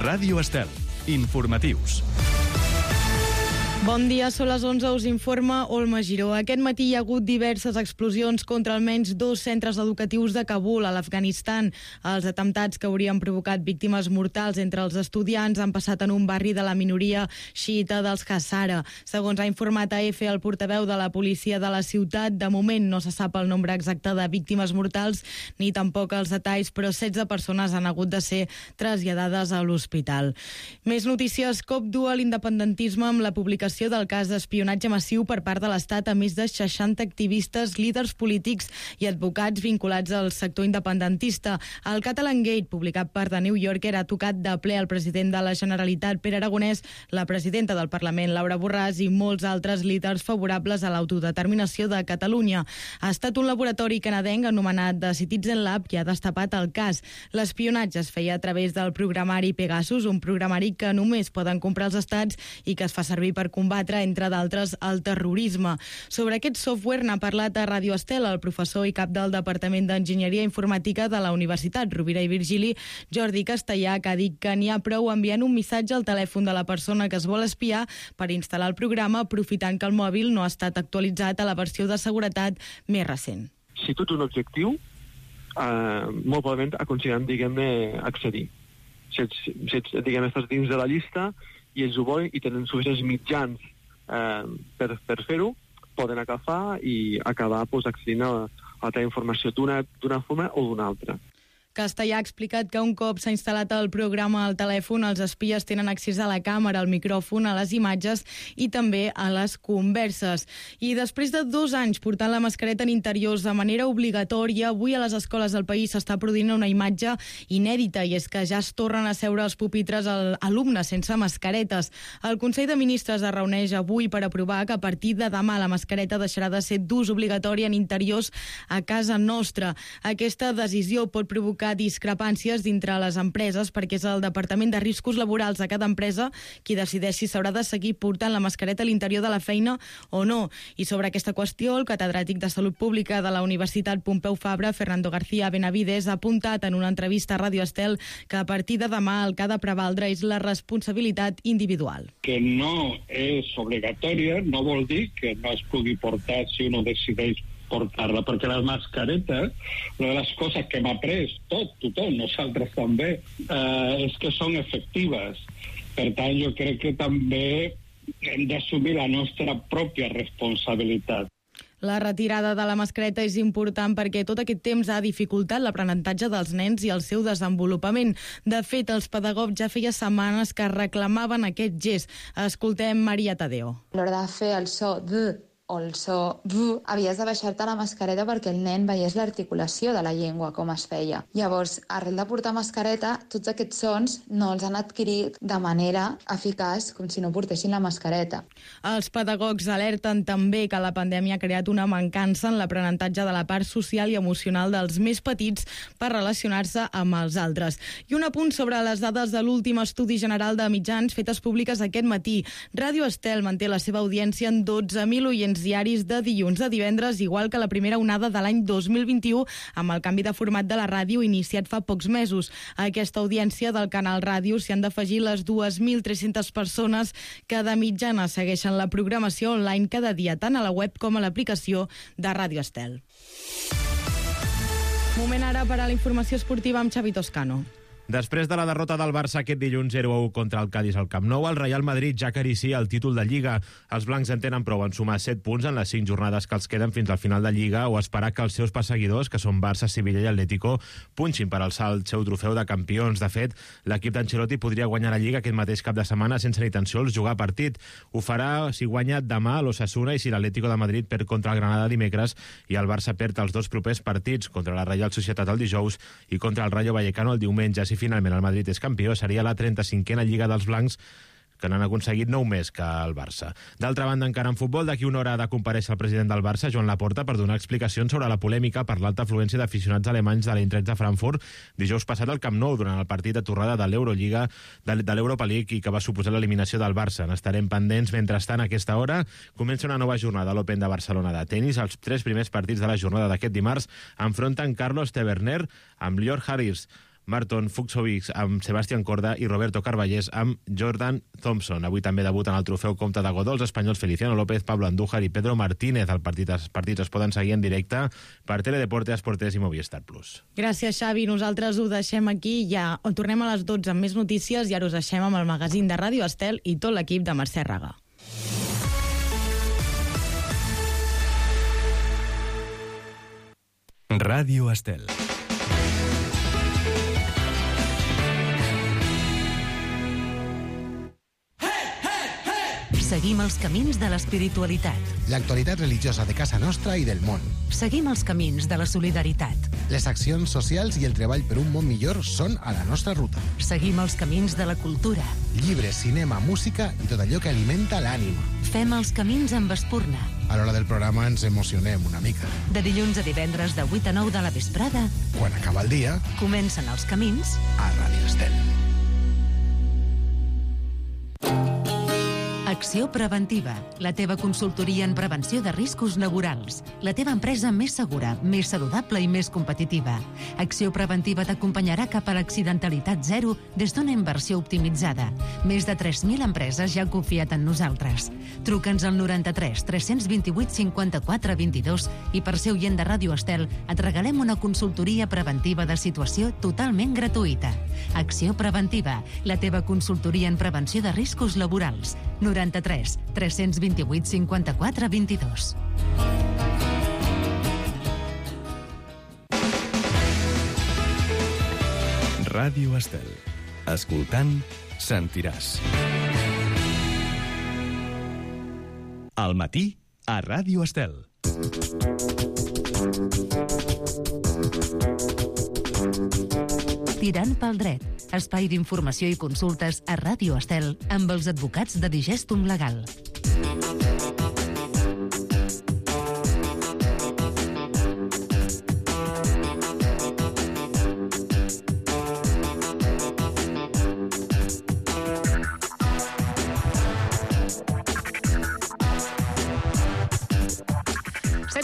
Ràdio Estel. Informatius. Bon dia, són les 11, us informa Olma Giró. Aquest matí hi ha hagut diverses explosions contra almenys 2 centres educatius de Kabul, a l'Afganistan. Els atemptats que haurien provocat víctimes mortals entre els estudiants han passat en un barri de la minoria xiita dels Hazara. Segons ha informat AF el portaveu de la policia de la ciutat, de moment no se sap el nombre exacte de víctimes mortals ni tampoc els detalls, però 16 persones han hagut de ser traslladades a l'hospital. Més notícies. COP du a l'independentisme amb la publicació del cas d'espionatge massiu per part de l'Estat a més de 60 activistes, líders polítics i advocats vinculats al sector independentista. El Catalan Gate, publicat per The New Yorker, ha tocat de ple el president de la Generalitat, Pere Aragonès, la presidenta del Parlament, Laura Borràs, i molts altres líders favorables a l'autodeterminació de Catalunya. Ha estat un laboratori canadenc anomenat The Citizen Lab que ha destapat el cas. L'espionatge es feia a través del programari Pegasus, un programari que només poden comprar els estats i que es fa servir per combatre, entre d'altres, el terrorisme. Sobre aquest software n'ha parlat a Ràdio Estel el professor i cap del Departament d'Enginyeria Informàtica de la Universitat Rovira i Virgili, Jordi Castellà, que ha dit que n'hi ha prou enviant un missatge al telèfon de la persona que es vol espiar per instal·lar el programa, aprofitant que el mòbil no ha estat actualitzat a la versió de seguretat més recent. Si tu ets un objectiu, molt probablement aconseguirem, diguem-ne, accedir. Si ets, diguem, estàs dins de la llista i ells ho volen i tenen suficients mitjans per fer-ho, poden agafar i acabar accedint a la teva informació d'una forma o d'una altra. Castellà ha explicat que un cop s'ha instal·lat el programa al telèfon, els espies tenen accés a la càmera, al micròfon, a les imatges i també a les converses. I després de 2 anys portant la mascareta en interiors de manera obligatòria, avui a les escoles del país s'està produint una imatge inèdita, i és que ja es tornen a seure als pupitres alumnes sense mascaretes. El Consell de Ministres es reuneix avui per aprovar que a partir de demà la mascareta deixarà de ser d'ús obligatori en interiors a casa nostra. Aquesta decisió pot provocar discrepàncies dintre les empreses perquè és el Departament de Riscos Laborals de cada empresa qui decideix si s'haurà de seguir portant la mascareta a l'interior de la feina o no. I sobre aquesta qüestió, el catedràtic de Salut Pública de la Universitat Pompeu Fabra, Fernando García Benavides, ha apuntat en una entrevista a Ràdio Estel que a partir de demà el que ha de prevaldre és la responsabilitat individual. Que no és obligatòria no vol dir que no es pugui portar si uno decideix portar-la, perquè les mascaretes, una de les coses que hem après tothom, nosaltres també, és que són efectives. Per tant, jo crec que també hem d'assumir la nostra pròpia responsabilitat. La retirada de la mascareta és important perquè tot aquest temps ha dificultat l'aprenentatge dels nens i el seu desenvolupament. De fet, els pedagogs ja feia setmanes que reclamaven aquest gest. Escoltem Maria Tadeo. A l'hora de fer el so D o el so V, havies de baixar-te la mascareta perquè el nen veiés l'articulació de la llengua, com es feia. Llavors, arrel de portar mascareta, tots aquests sons no els han adquirit de manera eficaç com si no portessin la mascareta. Els pedagogs alerten també que la pandèmia ha creat una mancança en l'aprenentatge de la part social i emocional dels més petits per relacionar-se amb els altres. I un apunt sobre les dades de l'últim estudi general de mitjans fetes públiques aquest matí. Ràdio Estel manté la seva audiència en 12.000 oients diaris de dilluns a divendres, igual que la primera onada de l'any 2021, amb el canvi de format de la ràdio iniciat fa pocs mesos. A aquesta audiència del canal ràdio s'hi han d'afegir les 2.300 persones que de mitjana segueixen la programació online cada dia, tant a la web com a l'aplicació de Ràdio Estel. Moment ara per a la informació esportiva amb Xavi Toscano. Després de la derrota del Barça aquest dilluns 0-1 contra el Cádiz al Camp Nou, el Real Madrid ja acaricia el títol de Lliga. Els blancs en tenen prou en sumar 7 punts en les 5 jornades que els queden fins al final de Lliga o esperar que els seus perseguidors, que són Barça, Sevilla i Atlético, punxin per alçar el seu trofeu de campions. De fet, l'equip d'Ancelotti podria guanyar la Lliga aquest mateix cap de setmana sense ni tan sols jugar partit. Ho farà si guanya demà l'Osasuna i si l'Atlético de Madrid perd contra el Granada dimecres i el Barça perd els 2 propers partits, contra la Reial Societat el dijous i contra el Rayo Vallecano el diumenge. Si finalment el Madrid és campió, seria la 35a Lliga dels blancs, que n'han aconseguit 9 més que el Barça. D'altra banda, encara en futbol, d'aquí una hora ha de comparèixer el president del Barça, Joan Laporta, per donar explicacions sobre la polèmica per l'alta afluència d'aficionats alemanys de l'Eintracht de Frankfurt dijous passat al Camp Nou durant el partit de tornada de l'Eurolliga, de l'Europa League, i que va suposar l'eliminació del Barça. N'estarem pendents. Mentrestant, a aquesta hora comença una nova jornada a l'Open de Barcelona de tenis. Els 3 primers partits de la jornada d'aquest dimarts enfronten Carlos Taverner amb Lior Harris, Marton Fuchsovics amb Sebastián Corda i Roberto Carballés amb Jordan Thompson. Avui també debuten al trofeu Comte de Godó els espanyols Feliciano López, Pablo Andújar i Pedro Martínez. Els partits es poden seguir en directe per Teledeporte, Esportes i Movistar Plus. Gràcies, Xavi. Nosaltres ho deixem aquí. Ja tornem a les 12 amb més notícies i ara us deixem amb el magazín de Ràdio Estel i tot l'equip de Mercè Raga. Ràdio Estel. Seguim els camins de l'espiritualitat. L'actualitat religiosa de casa nostra i del món. Seguim els camins de la solidaritat. Les accions socials i el treball per un món millor són a la nostra ruta. Seguim els camins de la cultura. Llibres, cinema, música i tot allò que alimenta l'ànima. Fem els camins amb espurna. A l'hora del programa ens emocionem una mica. De dilluns a divendres de 8 a 9 de la vesprada. Quan acaba el dia, comencen els camins a Ràdio Estel. Acció Preventiva, la teva consultoria en prevenció de riscos laborals. La teva empresa més segura, més saludable i més competitiva. Acció Preventiva t'acompanyarà cap a l'accidentalitat zero des d'una inversió optimitzada. Més de 3.000 empreses ja han confiat en nosaltres. Truca'ns al 93 328 54 22 i per ser oient de Ràdio Estel et regalem una consultoria preventiva de situació totalment gratuïta. Acció Preventiva, la teva consultoria en prevenció de riscos laborals. 93 328 54 22. Ràdio Estel. Escoltant, sentiràs. Al matí, a Ràdio Estel. Tirant pel dret, espai d'informació i consultes a Ràdio Estel amb els advocats de Digestum Legal.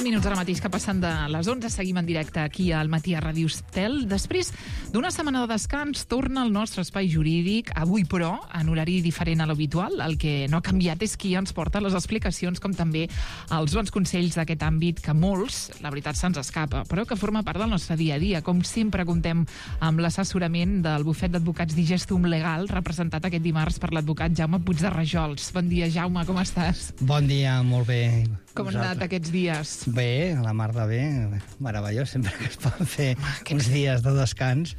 Minuts ara mateix que passen de les 11, seguim en directe aquí al matí a Ràdio Estel. Després d'una setmana de descans torna al nostre espai jurídic, avui però en horari diferent a l'habitual. El que no ha canviat és qui ens porta les explicacions com també els bons consells d'aquest àmbit que molts, la veritat, se'ns escapa, però que forma part del nostre dia a dia. Com sempre comptem amb l'assessorament del bufet d'advocats Digestum Legal, representat aquest dimarts per l'advocat Jaume Puig de Rajols. Bon dia, Jaume, com estàs? Bon dia, molt bé. Com han anat aquests dies? Bé, la mar de bé, meravellós, sempre que es poden fer uns dies de descans,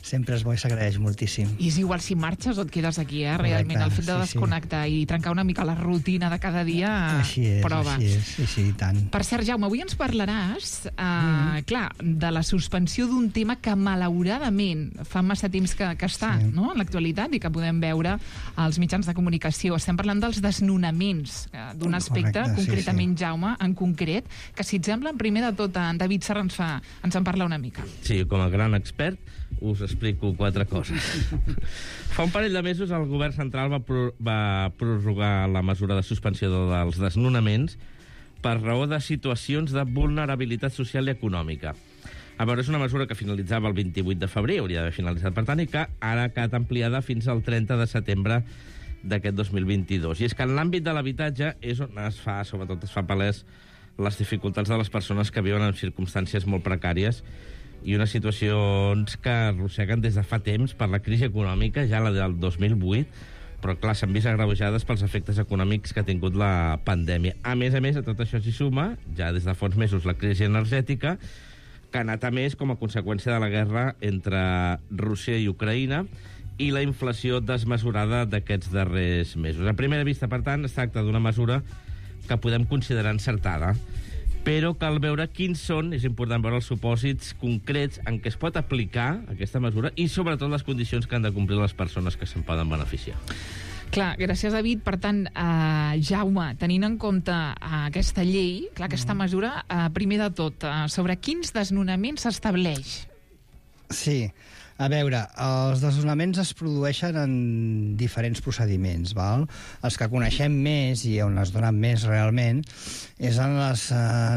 sempre és bo i s'agraeix moltíssim. I és igual si marxes o et quedes aquí, realment. El fet de desconnectar i trencar una mica la rutina de cada dia, prova. Així és, i tant. Per cert, Jaume, avui ens parlaràs, clar, de la suspensió d'un tema que malauradament fa massa temps que està, no?, en l'actualitat i que podem veure als mitjans de comunicació. Estem parlant dels desnonaments, d'un aspecte, concretament, Jaume, en concret, que si et sembla, primer de tot, en David Serra ens en parla una mica. Sí, com a gran expert, us explico 4 coses. Fa un parell de mesos el govern central va prorrogar la mesura de suspensió dels desnonaments per raó de situacions de vulnerabilitat social i econòmica. A veure, és una mesura que finalitzava el 28 de febrer, hauria d'haver finalitzat, per tant, i que ara ha quedat ampliada fins al 30 de setembre d'aquest 2022. I és que en l'àmbit de l'habitatge és on sobretot es fa palès les dificultats de les persones que viuen en circumstàncies molt precàries i unes situacions que arrosseguen des de fa temps per la crisi econòmica, ja la del 2008, però clar, s'han vist agreujades pels efectes econòmics que ha tingut la pandèmia. A més, a tot això s'hi suma, ja des de fa uns mesos, la crisi energètica, que ha anat a més com a conseqüència de la guerra entre Rússia i Ucraïna i la inflació desmesurada d'aquests darrers mesos. A primera vista, per tant, es tracta d'una mesura que podem considerar encertada, però cal veure quins són, és important veure els supòsits concrets en què es pot aplicar aquesta mesura i sobretot les condicions que han de complir les persones que se'n poden beneficiar. Clar, gràcies, David. Per tant, Jaume, tenint en compte aquesta llei, clar, aquesta mesura, primer de tot, sobre quins desnonaments s'estableix? Sí, a veure, els desnonaments es produeixen en diferents procediments, val? Els que coneixem més i on es donen més realment és en les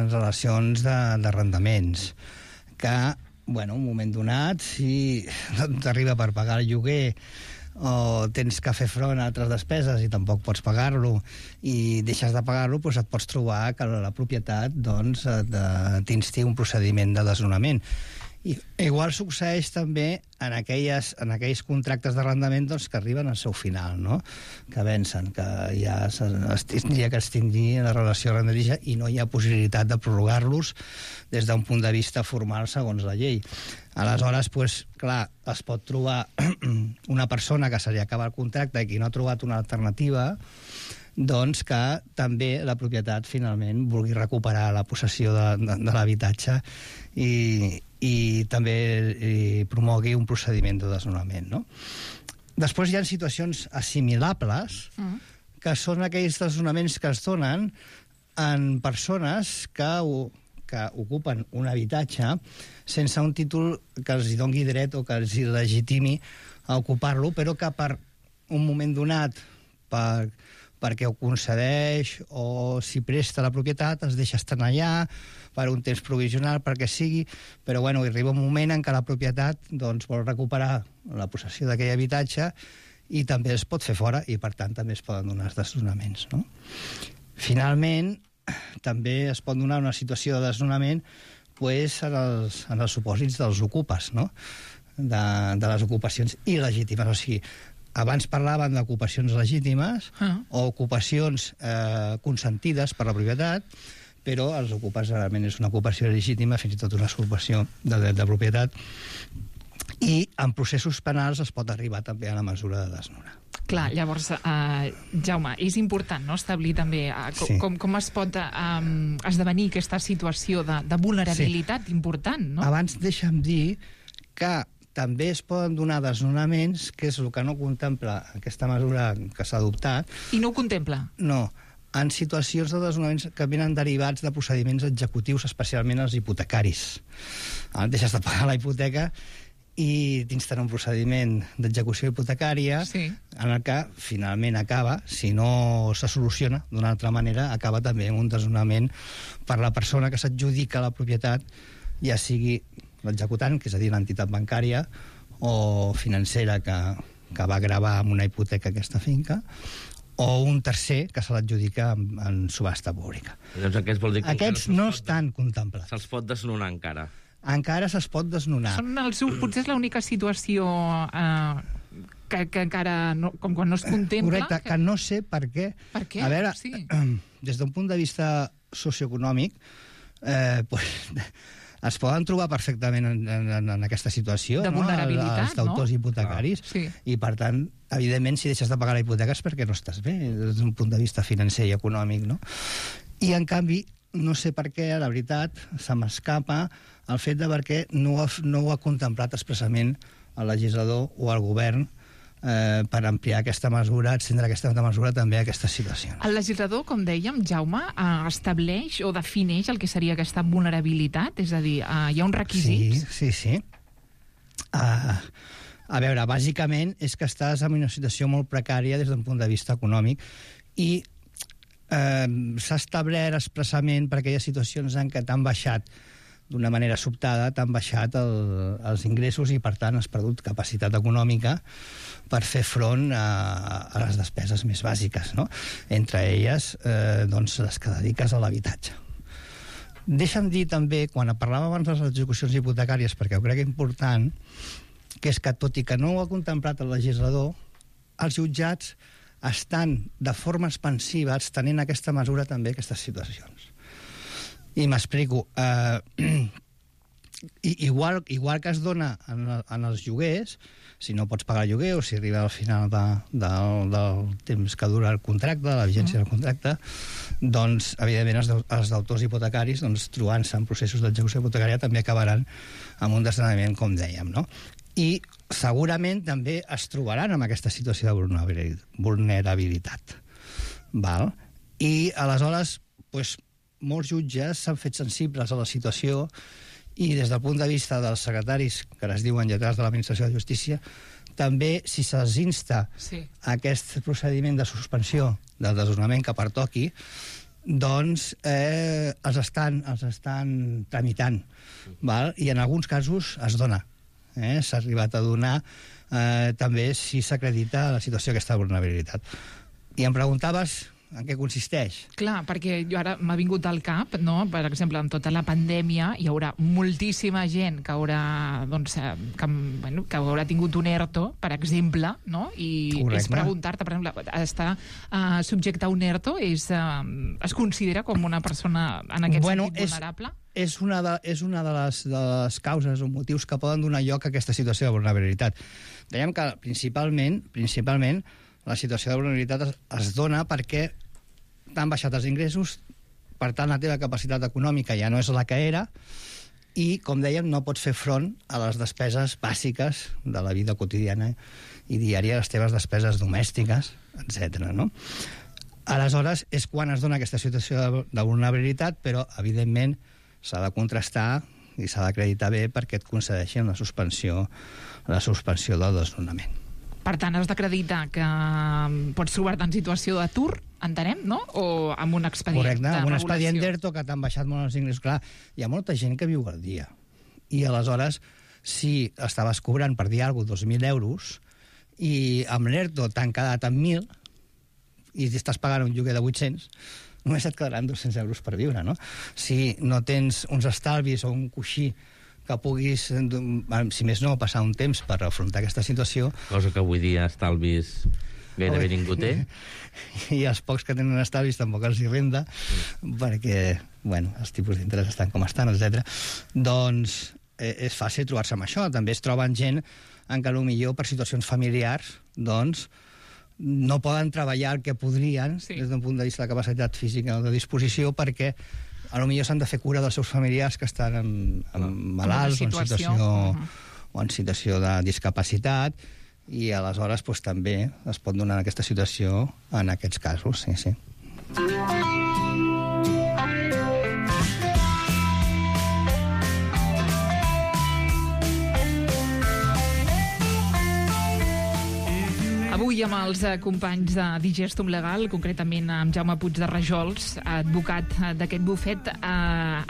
relacions d'arrendaments, que bueno, un moment donat, si no t'arriba per pagar el lloguer o tens que fer front a altres despeses i tampoc pots pagar-lo i deixes de pagar-lo, doncs et pots trobar que la propietat doncs, t'insti un procediment de desnonament. I igual succeeix també en aquells contractes d'arrendament doncs, que arriben al seu final, no? Que vencen, que ja tindria que extingir la relació arrendatissa i no hi ha possibilitat de prorrogar-los des d'un punt de vista formal segons la llei. Aleshores, doncs, clar, es pot trobar una persona que se li acaba el contracte i que no ha trobat una alternativa, doncs que també la propietat finalment vulgui recuperar la possessió de l'habitatge i també promogui un procediment de desnonament, no? Després hi ha situacions assimilables, que són aquells desnonaments que es donen en persones que ocupen un habitatge sense un títol que els doni dret o que els legitimi a ocupar-lo, però que per un moment donat, perquè ho concedeix o si presta la propietat, es deixa estar allà per un temps provisional, perquè sigui, però bueno, arriba un moment en què la propietat doncs, vol recuperar la possessió d'aquell habitatge i també es pot fer fora i, per tant, també es poden donar els desnonaments, no? Finalment, també es pot donar una situació de desnonament pues, en els supòsits dels ocupes, no? De les ocupacions il·legítimes, o sigui, abans parlaven d'ocupacions legítimes o ocupacions consentides per la propietat, però els ocupes realment és una ocupació legítima, fins i tot una usurpació de dret de propietat, i en processos penals es pot arribar també a la mesura de desnonar. Clar, llavors, Jaume, és important no, establir també com es pot esdevenir aquesta situació de vulnerabilitat important, no? Abans deixa'm dir que també es poden donar desnonaments, que és el que no contempla aquesta mesura que s'ha adoptat. I no ho contempla? No. En situacions de desnonaments que venen derivats de procediments executius, especialment els hipotecaris. Deixes de pagar la hipoteca i t'instal·la un procediment d'execució hipotecària en el que finalment acaba, si no se soluciona d'una altra manera, acaba també amb un desnonament per la persona que s'adjudica la propietat, ja sigui l'executant, que és a dir, l'entitat bancària o financera que va gravar amb una hipoteca aquesta finca, o un tercer que se l'adjudica en subhasta pública. Llavors, aquests no estan contemplats. Se'ls pot desnonar encara? Encara se'ls pot desnonar. Potser és l'única situació que encara, com quan no es contempla... Correcte, que no sé per què. Per què? A veure, des d'un punt de vista socioeconòmic, es poden trobar perfectament en aquesta situació, de vulnerabilitat, els deutors hipotecaris, i per tant, evidentment, si deixes de pagar la hipoteca és perquè no estàs bé, des d'un punt de vista financer i econòmic, no? I, en canvi, no sé per què, la veritat, se m'escapa el fet de perquè no ho ha contemplat expressament el legislador o el govern per ampliar aquesta mesura, extendre aquesta mesura també a aquestes situacions. El legislador, com dèiem, Jaume, estableix o defineix el que seria aquesta vulnerabilitat? És a dir, hi ha uns requisits? Sí. A veure, bàsicament és que estàs en una situació molt precària des d'un punt de vista econòmic i s'ha establert expressament per aquelles situacions en què t'han baixat d'una manera sobtada, t'han baixat els ingressos i, per tant, has perdut capacitat econòmica per fer front a les despeses més bàsiques, no? Entre elles, doncs, les que dediques a l'habitatge. Deixa'm dir també, quan parlàvem abans de les execucions hipotecàries, perquè ho crec important, que és que, tot i que no ho ha contemplat el legislador, els jutjats estan de forma expansiva estenent aquesta mesura també a aquestes situacions. I m'explico. Igual que es dona en els lloguers, si no pots pagar el lloguer o si arriba al final del temps que dura el contracte, de la vigència del contracte, doncs, evidentment, els deutors hipotecaris, doncs, trobant-se en processos d'execució hipotecària, també acabaran amb un desnonament, com dèiem, no? I segurament també es trobaran en aquesta situació de vulnerabilitat. Val? I aleshores, doncs, molts jutges s'han fet sensibles a la situació i des del punt de vista dels secretaris, que es diuen lletrats de l'Administració de Justícia, també, si se'ls insta a aquest procediment de suspensió del desnonament que pertoqui, doncs els estan tramitant, val? I en alguns casos es dona. S'ha arribat a donar també si s'acredita la situació d'aquesta vulnerabilitat. I em preguntaves en què consisteix. Clar, perquè jo ara m'ha vingut al cap, no? Per exemple, amb tota la pandèmia hi haurà moltíssima gent que haurà, doncs, que haurà tingut un ERTO, per exemple, no? I és preguntar-te, per exemple, estar subjecte a un ERTO es considera com una persona en aquest sentit vulnerable? És una de les causes o motius que poden donar lloc a aquesta situació de vulnerabilitat. Dèiem que principalment la situació de vulnerabilitat es dona perquè t'han baixat els ingressos, per tant la teva capacitat econòmica ja no és la que era i, com dèiem, no pots fer front a les despeses bàsiques de la vida quotidiana i diària, les teves despeses domèstiques, etc. No? Aleshores, és quan es dona aquesta situació de vulnerabilitat, però, evidentment, s'ha de contrastar i s'ha d'acreditar bé perquè et concedeixin la suspensió del desnonament. Per tant, has d'acreditar que pots trobar-te en situació d'atur, entenem, no? O amb un expedient de regulació. Correcte, amb un expedient d'ERTO que t'han baixat molt els ingressos. Clar, hi ha molta gent que viu al dia. I aleshores, si estaves cobrant, per dir alguna cosa, 2.000 euros, i amb l'ERTO t'han quedat amb 1.000, i estàs pagant un lloguer de 800, només et quedaran 200 euros per viure, no? Si no tens uns estalvis o un coixí que puguis, si més no, passar un temps per afrontar aquesta situació... Cosa que avui dia estalvis gairebé ningú té. I els pocs que tenen estalvis tampoc els hi renda, perquè, bueno, els tipus d'interès estan com estan, etc. Doncs és fàcil trobar-se amb això. També es troben gent en què potser per situacions familiars, doncs, no poden treballar el que podrien des d'un punt de vista de capacitat física o de disposició perquè potser s'han de fer cura dels seus familiars que estan malalts o en situació de discapacitat i aleshores també es pot donar aquesta situació en aquests casos, sí. Avui amb els companys de Digestum Legal, concretament amb Jaume Puig de Rajols, advocat d'aquest bufet,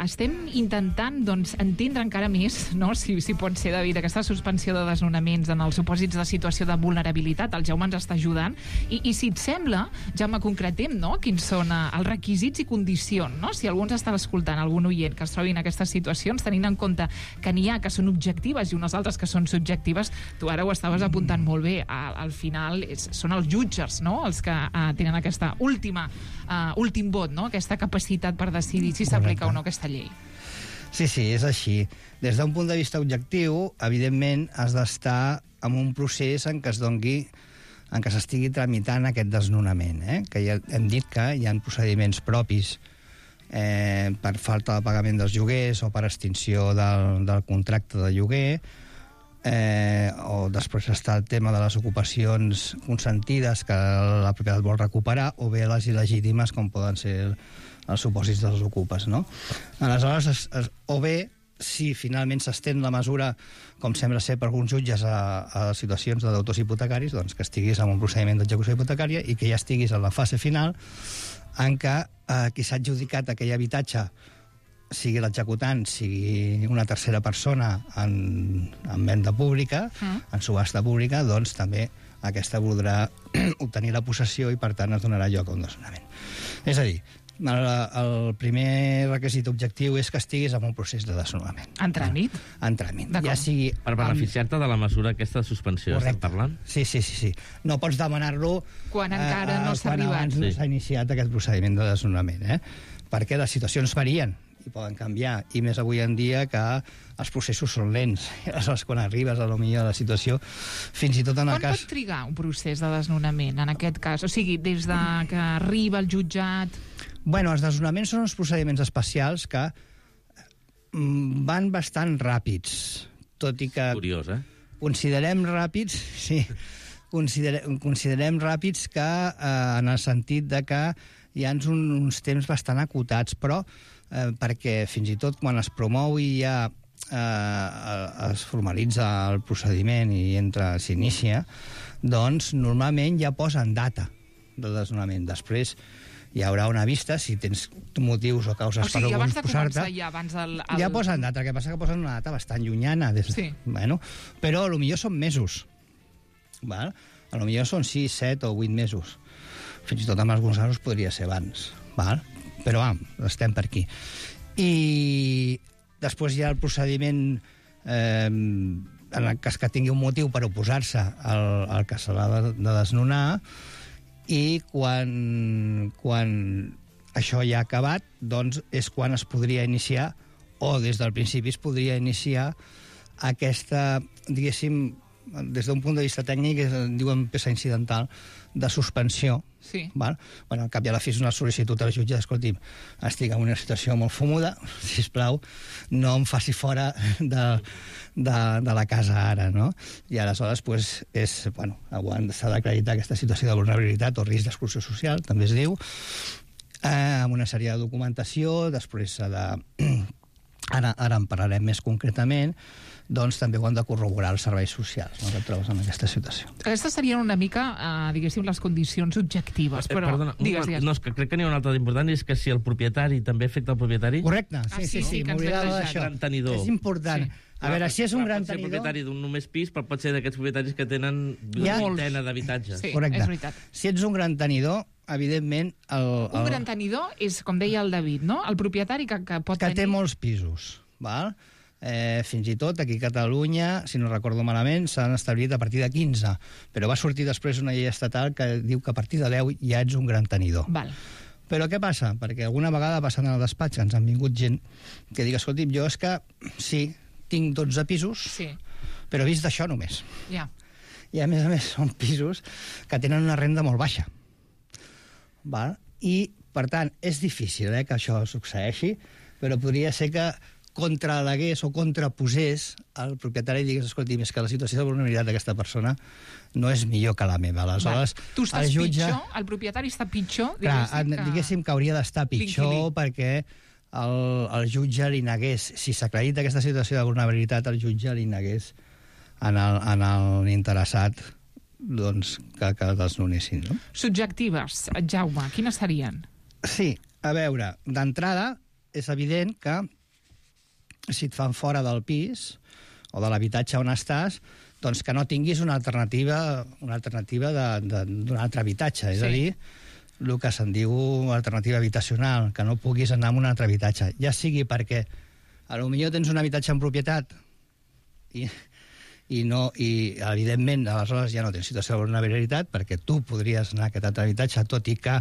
estem intentant entendre encara més, no? si pot ser, David, aquesta suspensió de desnonaments en els supòsits de situació de vulnerabilitat. El Jaume ens està ajudant. I si et sembla, Jaume, concretem, no? Quins són els requisits i condicions, no? Si algú ens està escoltant, algun oient que es trobi en aquestes situacions, tenint en compte que n'hi ha que són objectives i unes altres que són subjectives, tu ara ho estaves apuntant molt bé. Al final són els jutges, no?, els que tenen aquesta últim vot, no?, aquesta capacitat per decidir si s'aplica o no aquesta llei. Sí, és així. Des d'un punt de vista objectiu, evidentment, has d'estar en un procés en què s'estigui tramitant aquest desnonament, que ja hem dit que hi ha procediments propis per falta de pagament dels lloguers o per extinció del contracte de lloguer, o després està el tema de les ocupacions consentides que la propietat vol recuperar, o bé les il·legítimes com poden ser els supòsits dels ocupes, no? Aleshores, o bé, si finalment s'estén la mesura, com sembla ser per alguns jutges, a situacions de deutors hipotecaris, doncs que estiguis en un procediment d'execució hipotecària i que ja estiguis en la fase final en què qui s'ha adjudicat aquell habitatge, sigui l'executant, sigui una tercera persona en venda pública, en subhasta pública, doncs també aquesta voldrà obtenir la possessió i, per tant, es donarà lloc a un desnonament. És a dir, el primer requisit objectiu és que estiguis en un procés de desnonament. En tràmit? En tràmit. Ja sigui... Per beneficiar-te de la mesura aquesta de suspensió, estem parlant? Sí. No pots demanar-lo quan encara no s'ha arribat. Quan abans no s'ha iniciat aquest procediment de desnonament, perquè les situacions varien i poden canviar, i més avui en dia que els processos són lents. Aleshores, quan arribes a la situació, fins i tot en el cas... Quan pot trigar un procés de desnonament, en aquest cas? O sigui, des de que arriba el jutjat... Bueno, els desnonaments són uns procediments especials que van bastant ràpids, tot i que... Curiós, Considerem ràpids, sí, considerem ràpids que en el sentit de que hi ha uns temps bastant acotats, però perquè fins i tot quan es promou i ja es formalitza el procediment i s'inicia, doncs normalment ja posen data de desnonament. Després hi haurà una vista, si tens motius o causes per abans de oposar-te. començar, abans del... Ja posen data, el que passa que posen una data bastant llunyana. Bueno, però potser són mesos. Val? Potser són 6, 7 o 8 mesos. Fins i tot amb alguns casos podria ser abans. Val? Però estem per aquí. I després hi ha el procediment en el cas que tingui un motiu per oposar-se al que se l'ha de desnonar, i quan això ja ha acabat, doncs és quan es podria iniciar, o des del principi es podria iniciar aquesta, diguéssim, des d'un punt de vista tècnic, diuen peça incidental, de suspensió. Sí. Val? Bueno, al cap i a la fi és una sol·licitud al jutge, escolti'm, estic en una situació molt fumuda, sisplau, no em faci fora de la casa ara, no? I aleshores, pues, s'ha d'acreditar aquesta situació de vulnerabilitat o risc d'exclusió social, també es diu, amb una sèrie de documentació, després s'ha de... Ara en parlarem més concretament, doncs també ho han de corroborar els serveis socials, no, que et trobes en aquesta situació. Aquestes serien una mica, diguéssim, les condicions objectives, però... Perdona, digues. No, és que crec que n'hi ha una altra d'important, és que si el propietari també afecta el propietari... Correcte, sí, m'oblidava d'això. Gran tenidor. És important. Sí. A veure, si és un gran tenidor... Pot ser propietari d'un només pis, però pot ser d'aquests propietaris que tenen una vintena d'habitatges. Sí, correcte. És veritat. Si ets un gran tenidor, evidentment... Un gran tenidor és, com deia el David, no? El propietari que pot tenir... Que té molts pisos, val? Fins i tot aquí a Catalunya, si no recordo malament, s'han establit a partir de 15, però va sortir després una llei estatal que diu que a partir de 10 ja ets un gran tenidor. Val. Però què passa? Perquè alguna vegada passant al despatx ens han vingut gent que diu, escolti'm, jo és que sí, tinc 12 pisos, sí, però vist d'això només. Ja. I a més són pisos que tenen una renda molt baixa. Val? I, per tant, és difícil que això succeeixi, però podria ser que contralegués o contraposés al propietari i digués, escolti, és que la situació de vulnerabilitat d'aquesta persona no és millor que la meva. Aleshores, tu estàs el jutge... pitjor, el propietari està pitjor, diguéssim que hauria d'estar pitjor perquè el jutge li negués, si s'acredita aquesta situació de vulnerabilitat, el jutge li negués en l'interessat doncs, que desnonessin. No? Subjectives, Jaume, quines serien? Sí, a veure, d'entrada és evident que si et fan fora del pis o de l'habitatge on estàs, doncs que no tinguis una alternativa d'un altre habitatge, és a dir, el que se'n diu alternativa habitacional, que no puguis anar a un altre habitatge, ja sigui perquè potser tens un habitatge en propietat i evidentment aleshores ja no tens situació de vulnerabilitat perquè tu podries anar a aquest altre habitatge, tot i que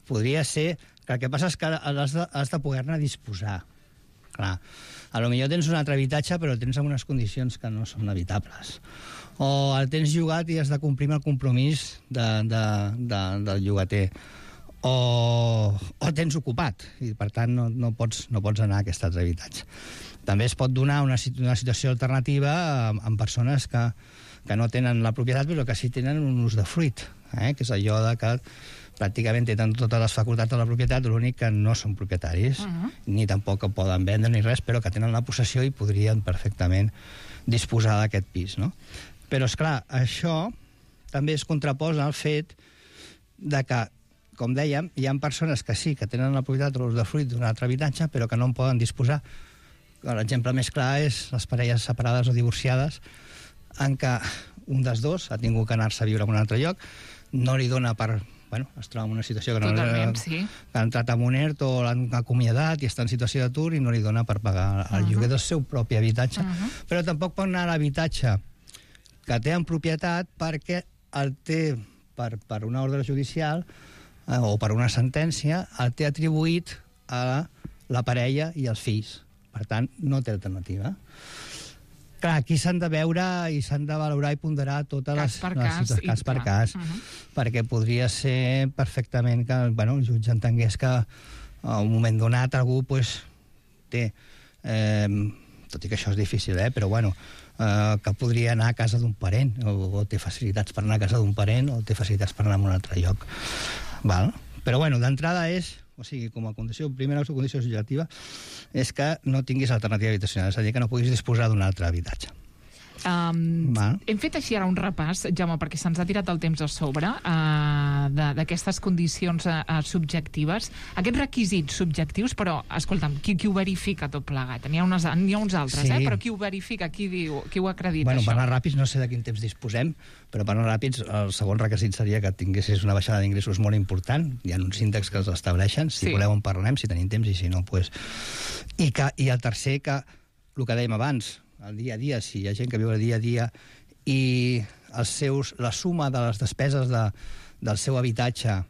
podria ser que el que passa és que has de poder-ne disposar. Clar, potser tens un altre habitatge però el tens en unes condicions que no són habitables, o el tens llogat i has de complir amb el compromís del llogater, o tens ocupat i per tant no pots anar a aquest altre habitatge. També es pot donar una situació alternativa amb persones que no tenen la propietat però que sí tenen un usdefruit, que és allò de que pràcticament tenen totes les facultats de la propietat, l'únic que no són propietaris, ni tampoc poden vendre ni res, però que tenen la possessió i podrien perfectament disposar d'aquest pis, no? Però, esclar, això també es contraposa al fet de que, com dèiem, hi ha persones que sí, que tenen la propietat o l'usdefruit d'un altre habitatge, però que no en poden disposar. L'exemple més clar és les parelles separades o divorciades, en què un dels dos ha tingut que anar-se a viure en un altre lloc, no li dona per... es troba en una situació que ha entrat a un ERT o l'han acomiadat i està en situació d'atur i no li dona per pagar el lloguer del seu propi habitatge. Però tampoc pot anar a l'habitatge que té en propietat perquè el té per una ordre judicial o per una sentència, el té atribuït a la parella i als fills. Per tant, no té alternativa. Clar, aquí s'han de veure i s'han de valorar i ponderar totes les situacions cas per cas, perquè podria ser perfectament que el jutge entengués que a un moment donat algú té, tot i que això és difícil, però que podria anar a casa d'un parent, o té facilitats per anar a casa d'un parent, o té facilitats per anar a un altre lloc. Però d'entrada és... O sigui, com a condició, primera condició subjectiva és que no tinguis alternativa habitacional, és a dir, que no puguis disposar d'un altre habitatge. Hem fet així ara un repàs, Jaume, perquè se'ns ha tirat el temps a sobre d'aquestes condicions subjectives, aquests requisits subjectius, però, escolta'm, qui ho verifica tot plegat? N'hi ha uns altres, però qui ho verifica, qui ho acredita, això? Per anar ràpids, no sé de quin temps disposem, però per anar ràpids, el segon requisit seria que tinguessis una baixada d'ingressos molt important. Hi ha uns índexs que els estableixen, si voleu en parlem, si tenim temps, i si no, doncs... I el tercer, que el que dèiem abans, el dia a dia, si hi ha gent que viu el dia a dia i la suma de les despeses del seu habitatge,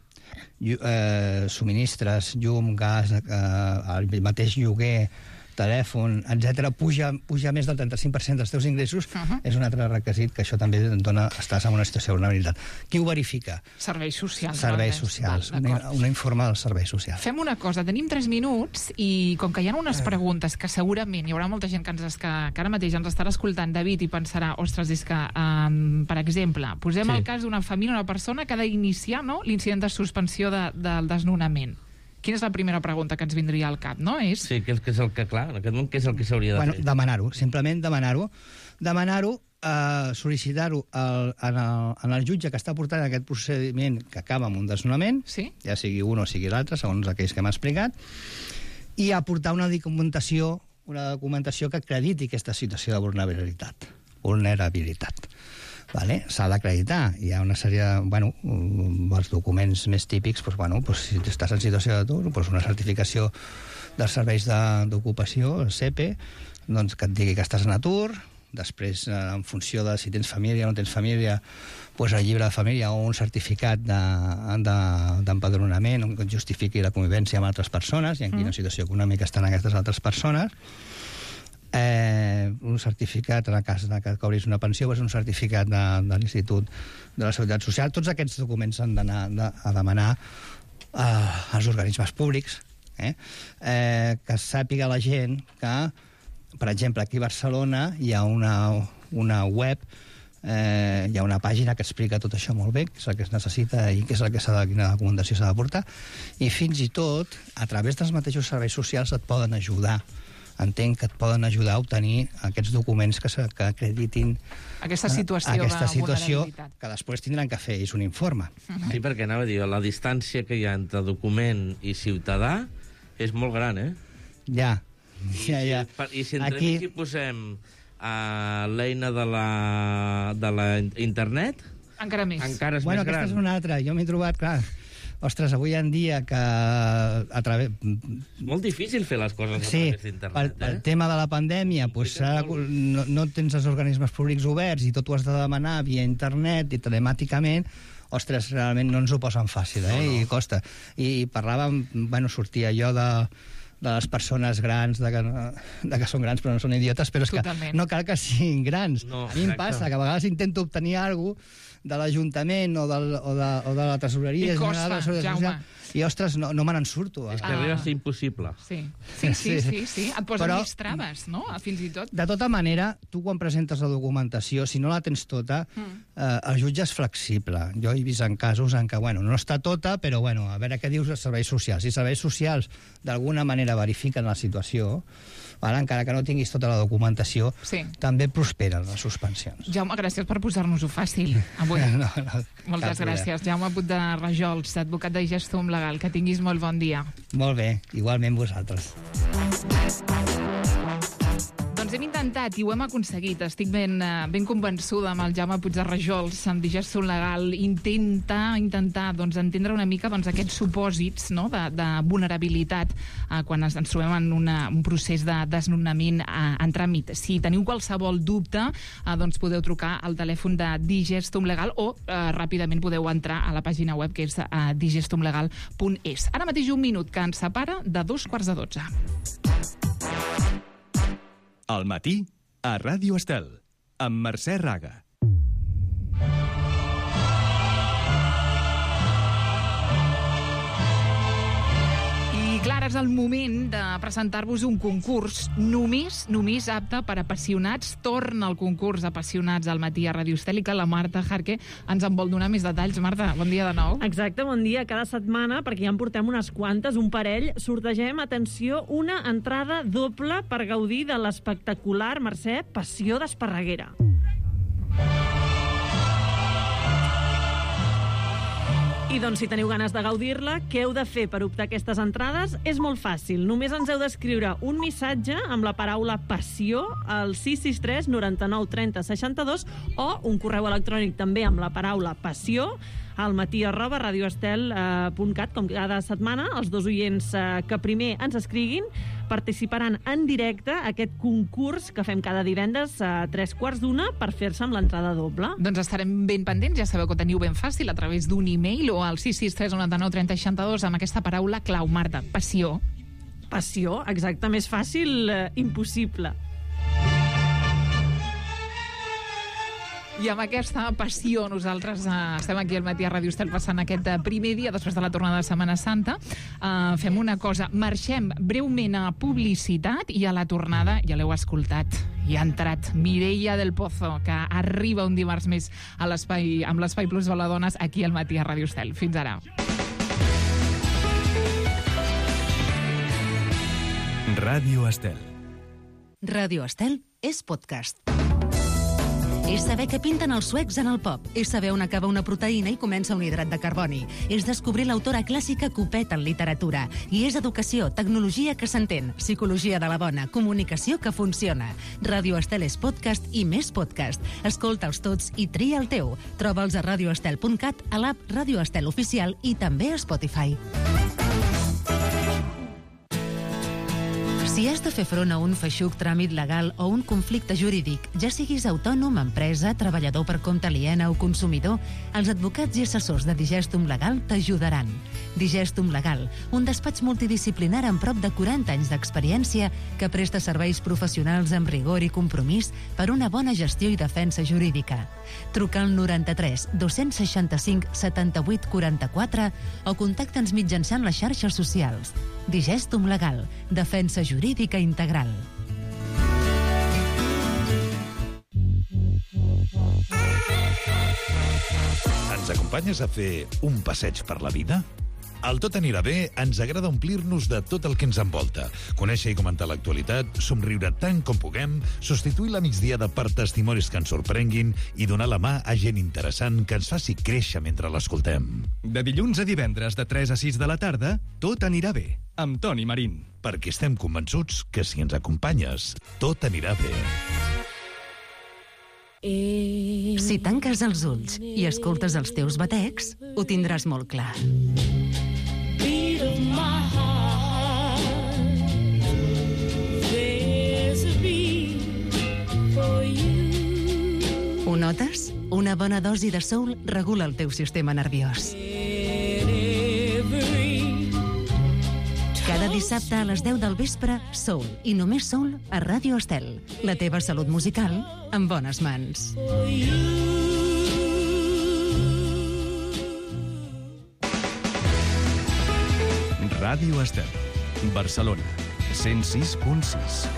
subministres, llum, gas, el mateix lloguer, telèfon, etc., puja més del 35% dels teus ingressos, és un altre requisit que això també et dona, estàs en una situació de vulnerabilitat. Qui ho verifica? Serveis socials. Serveis socials, un informe dels serveis socials. Fem una cosa, tenim 3 minuts i com que hi ha unes preguntes que segurament hi haurà molta gent que ara mateix ens estarà escoltant, David, i pensarà, ostres, és que, per exemple, posem el cas d'una família, una persona que ha d'iniciar l'incident de suspensió del desnonament. Quina és la primera pregunta que ens vindria al cap, no? Sí, que és el que, clar, en aquest moment, què és el que s'hauria de fer? Demanar-ho, simplement demanar-ho. Demanar-ho, sol·licitar-ho en el jutge que està portant aquest procediment que acaba amb un desnonament, ja sigui un o sigui l'altre, segons aquells que m'ha explicat, i aportar una documentació que acrediti aquesta situació de vulnerabilitat. S'ha d'acreditar. Hi ha una sèrie els documents més típics, si estàs en situació d'atur, una certificació dels serveis d'ocupació, el CEPE, que et digui que estàs en atur, després, en funció de si tens família o no tens família, el llibre de família o un certificat d'empadronament que justifiqui la convivència amb altres persones i en quina situació econòmica estan aquestes altres persones. Un certificat, en el cas que cobris una pensió, un certificat de l'Institut de la Seguretat Social. Tots aquests documents s'han d'anar a demanar als organismes públics, que sàpiga la gent que, per exemple, aquí a Barcelona hi ha una web, hi ha una pàgina que explica tot això molt bé, què és el que es necessita i quina documentació s'ha d'aportar, i fins i tot, a través dels mateixos serveis socials et poden ajudar. Entenc que et poden ajudar a obtenir aquests documents que acreditin aquesta situació de vulnerabilitat. Que després tindran que fer, és un informe. Sí, perquè anava a dir, la distància que hi ha entre document i ciutadà és molt gran, Ja. I si entremig hi posem l'eina de la internet, encara més. Encara és més gran. Aquesta és una altra. Jo m'he trobat, clar... Ostres, avui en dia que... Molt difícil fer les coses a través d'internet. El tema de la pandèmia, no tens els organismes públics oberts i tot ho has de demanar via internet i telemàticament. Ostres, realment no ens ho posen fàcil, i costa. I parlàvem, sortia jo de les persones grans, de que són grans però no són idiotes, però és que no cal que siguin grans. A mi em passa que a vegades intento obtenir alguna cosa de l'Ajuntament o de la Tresoreria General de la Social, i, ostres, no me n'en surto. És que arriba a ser impossible. Sí. Et posen més traves, no? Fins i tot. De tota manera, tu quan presentes la documentació, si no la tens tota, el jutge és flexible. Jo he vist en casos en què, no està tota, però, a veure què dius dels serveis socials. Si els serveis socials d'alguna manera verifiquen la situació, encara que no tinguis tota la documentació, també prosperen les suspensions. Jaume, gràcies per posar-nos-ho fàcil avui. Moltes gràcies. Jaume Puig de Rajols, advocat de Gestum Legal. Que tinguis molt bon dia. Molt bé, igualment vosaltres. Doncs hem intentat i ho hem aconseguit. Estic ben convençuda amb el Jaume Puig de Rajols, amb Gestum Legal, intentar entendre una mica aquests supòsits de vulnerabilitat quan ens trobem en un procés de desnonament en tràmit. Si teniu qualsevol dubte, podeu trucar al telèfon de Gestum Legal o ràpidament podeu entrar a la pàgina web que és digestumlegal.es. Ara mateix un minut que ens separa de 11:45. Al matí, a Ràdio Estel, amb Mercè Raga. I clar, és el moment de presentar-vos un concurs només apte per apassionats. Torna el concurs Apassionats al matí a Ràdio Estel i que la Marta Jarque ens en vol donar més detalls. Marta, bon dia de nou. Exacte, bon dia. Cada setmana, perquè ja en portem unes quantes, un parell, sortegem, atenció, una entrada doble per gaudir de l'espectacular, Mercè, Passió d'Esparreguera. I doncs, si teniu ganes de gaudir-la, què heu de fer per optar aquestes entrades? És molt fàcil. Només ens heu d'escriure un missatge amb la paraula passió al 663 99 30 62 o un correu electrònic també amb la paraula passió al matí@radioestel.cat. Com cada setmana, els dos oients que primer ens escriguin participaran en directe a aquest concurs que fem cada divendres a 3:15 per fer-se amb l'entrada doble. Doncs estarem ben pendents, ja sabeu que ho teniu ben fàcil a través d'un e-mail o al 663 99 30 62 amb aquesta paraula clau, Marta, passió. Passió, exacte, més fàcil, impossible. I amb aquesta passió nosaltres estem aquí al matí a Ràdio Estel passant aquest primer dia després de la tornada de Setmana Santa. Fem una cosa, marxem breument a publicitat i a la tornada, ja l'heu escoltat, hi ha entrat Mireia del Pozo, que arriba un dimarts més a l'espai, amb l'Espai Plus de les Dones aquí al matí a Ràdio Estel. Fins ara. Ràdio Estel. Ràdio Estel és podcast. És saber què pinten els suecs en el pop. És saber on acaba una proteïna i comença un hidrat de carboni. És descobrir l'autora clàssica Copet en literatura. I és educació, tecnologia que s'entén, psicologia de la bona, comunicació que funciona. Ràdio Estel és podcast i més podcast. Escolta'ls tots i tria el teu. Troba'ls a radioestel.cat, a l'app Ràdio Estel Oficial i també a Spotify. Si has de fer front a un feixuc tràmit legal o un conflicte jurídic, ja siguis autònom, empresa, treballador per compte aliena o consumidor, els advocats i assessors de Digestum Legal t'ajudaran. Digestum Legal, un despatx multidisciplinar amb prop de 40 anys d'experiència que presta serveis professionals amb rigor i compromís per una bona gestió i defensa jurídica. Truca al 93 265 78 44 o contacta'ns mitjançant les xarxes socials. Digestum Legal, defensa jurídica integral. Ens acompanyes a fer un passeig per la vida? Al Tot anirà bé ens agrada omplir-nos de tot el que ens envolta, conèixer i comentar l'actualitat, somriure tant com puguem, substituir la migdiada per testimonis que ens sorprenguin i donar la mà a gent interessant que ens faci créixer mentre l'escoltem. De dilluns a divendres de 3 a 6 de la tarda, Tot anirà bé, amb Toni Marín. Perquè estem convençuts que si ens acompanyes, tot anirà bé. Si tanques els ulls i escoltes els teus batecs, ho tindràs molt clar. Ho notes? Una bona dosi de soul regula el teu sistema nerviós. Cada dissabte a les 10 del vespre, Soul, i només Soul a Ràdio Estel. La teva salut musical en bones mans. Ràdio Estel, Barcelona, 106.6.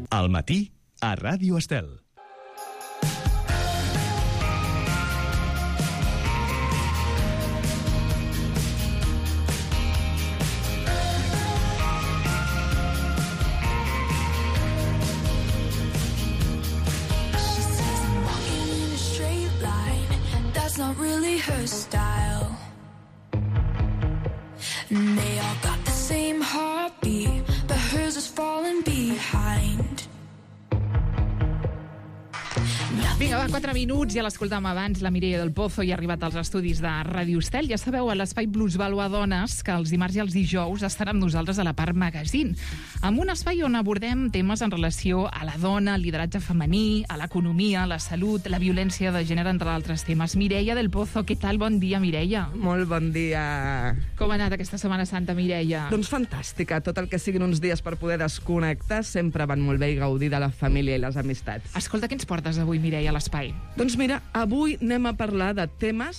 Al matí, a Ràdio Estel. Not really her style. And they all got the same heartbeat, but hers is falling behind. Vinga, va, 4 minuts, ja l'escoltàvem abans, la Mireia del Pozo i ha arribat als estudis de Ràdio Estel. Ja sabeu, a l'Espai Plusvàlua Dones, que els dimarts i els dijous estarà amb nosaltres a la part magazine, amb un espai on abordem temes en relació a la dona, al lideratge femení, a l'economia, la salut, la violència de gènere, entre altres temes. Mireia del Pozo, què tal? Bon dia, Mireia. Molt bon dia. Com ha anat aquesta Setmana Santa, Mireia? Doncs fantàstica. Tot el que siguin uns dies per poder desconnectar sempre van molt bé i gaudir de la família i les amistats. Escolta, què ens portes avui, Mireia, a l'espai? Doncs mira, avui anem a parlar de temes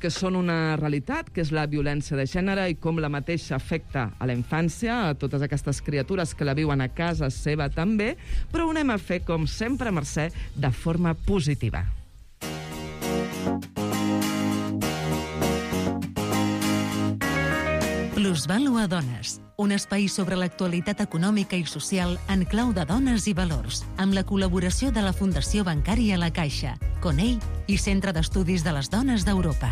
que són una realitat, que és la violència de gènere i com la mateixa afecta a la infància, a totes aquestes criatures que la viuen a casa seva també, però ho anem a fer, com sempre, Mercè, de forma positiva. Plusvalua Dones, un espai sobre l'actualitat econòmica i social en clau de dones i valors, amb la col·laboració de la Fundació Bancària La Caixa, CONEI i Centre d'Estudis de les Dones d'Europa.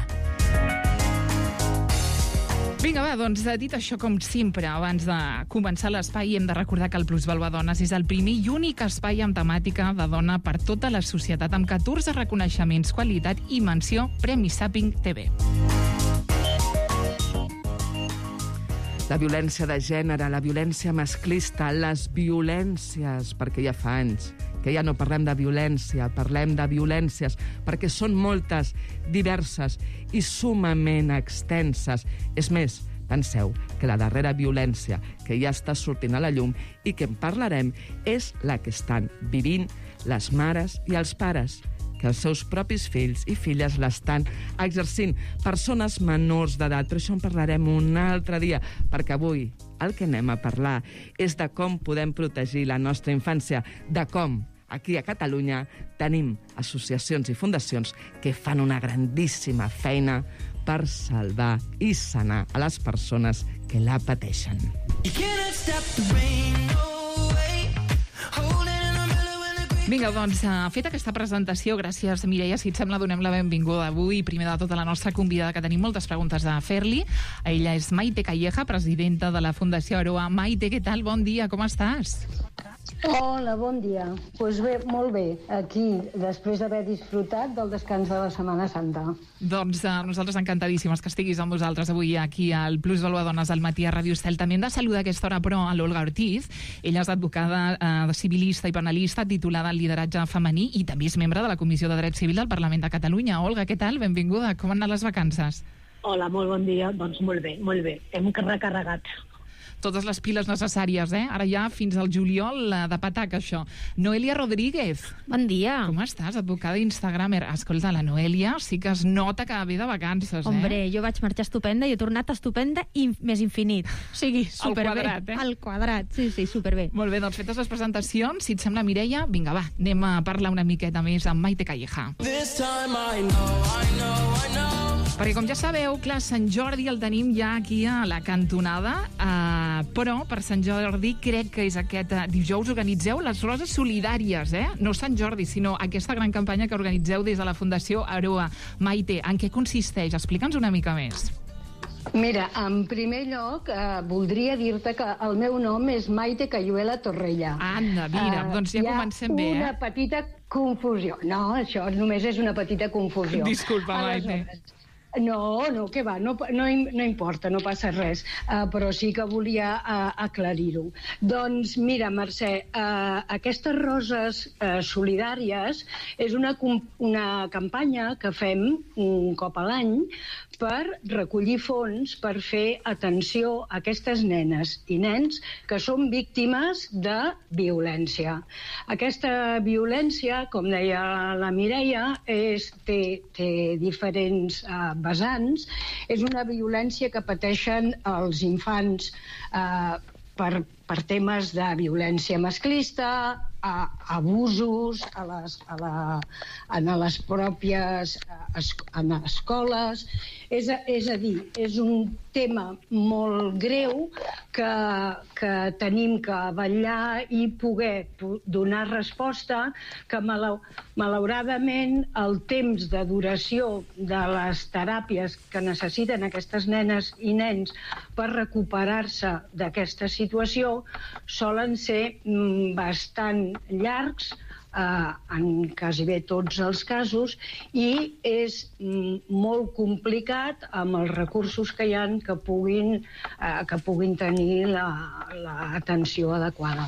Vinga, va, doncs, dit això, com sempre, abans de començar l'espai, hem de recordar que el Plusvalua Dones és el primer i únic espai amb temàtica de dona per tota la societat, amb 14 reconeixements, qualitat i menció Premi Zapping TV. La violència de gènere, la violència masclista, les violències, perquè ja fa anys que ja no parlem de violència, parlem de violències, perquè són moltes, diverses i sumament extenses. És més, penseu que la darrera violència que ja està sortint a la llum i que en parlarem és la que estan vivint les mares i els pares, que els seus propis fills i filles l'estan exercint. Persones menors d'edat, però això en parlarem un altre dia, perquè avui el que anem a parlar és de com podem protegir la nostra infància, de com aquí a Catalunya tenim associacions i fundacions que fan una grandíssima feina per salvar i sanar a les persones que la pateixen. Vinga, doncs, feta aquesta presentació, gràcies, Mireia. Si et sembla, donem la benvinguda avui, primer de tot, a la nostra convidada, que tenim moltes preguntes a fer-li. Ella és Maite Calleja, presidenta de la Fundació Aroa. Maite, què tal? Bon dia, com estàs? Hola, bon dia. Doncs bé, molt bé, aquí, després d'haver disfrutat del descans de la Setmana Santa. Doncs nosaltres encantadíssimes que estiguis amb nosaltres avui aquí al Plusvalua Dones al matí a Ràdio Estel. També hem de saludar a aquesta hora, però, a l'Olga Ortiz. Ella és advocada civilista i penalista, titulada en lideratge femení i també és membre de la Comissió de Dret Civil del Parlament de Catalunya. Olga, què tal? Benvinguda. Com han anat les vacances? Hola, molt bon dia. Doncs molt bé, molt bé. Hem recarregat. Totes les piles necessàries, eh? Ara ja fins al juliol de patac, això. Noelia Rodríguez. Bon dia. Com estàs, advocada instagramer? Escolta, la Noelia sí que es nota que ve de vacances, eh? Hombre, jo vaig marxar estupenda i he tornat estupenda i més infinit. O sigui, superbé. Al quadrat, eh? Al quadrat, sí, superbé. Molt bé, doncs fetes les presentacions, si et sembla, Mireia, vinga, va, anem a parlar una miqueta més amb Maite Calleja. Perquè, com ja sabeu, clar, Sant Jordi el tenim ja aquí a la cantonada, però per Sant Jordi crec que és aquest dijous organitzeu les Roses Solidàries, eh? No Sant Jordi, sinó aquesta gran campanya que organitzeu des de la Fundació Aroa. Maite, en què consisteix? Explica'ns una mica més. Mira, en primer lloc, voldria dir-te que el meu nom és Maite Cayuela Torrella. Anda, mira, doncs ja comencem bé, eh? Hi ha una petita confusió. No, això només és una petita confusió. Disculpa, Maite. No, que va, no importa, no passa res, però sí que volia aclarir-ho. Doncs mira, Mercè, aquestes Roses Solidàries és una campanya que fem un cop a l'any per recollir fons per fer atenció a aquestes nenes i nens que són víctimes de violència. Aquesta violència, com deia la Mireia, té diferents vessants. És una violència que pateixen els infants per temes de violència masclista, abusos en les pròpies escoles. És a dir, és un tema molt greu que tenim que vetllar i poder donar resposta, que malauradament el temps de duració de les teràpies que necessiten aquestes nenes i nens per recuperar-se d'aquesta situació solen ser bastant llargs en quasi bé tots els casos i és molt complicat amb els recursos que hi ha que puguin tenir l'atenció adequada.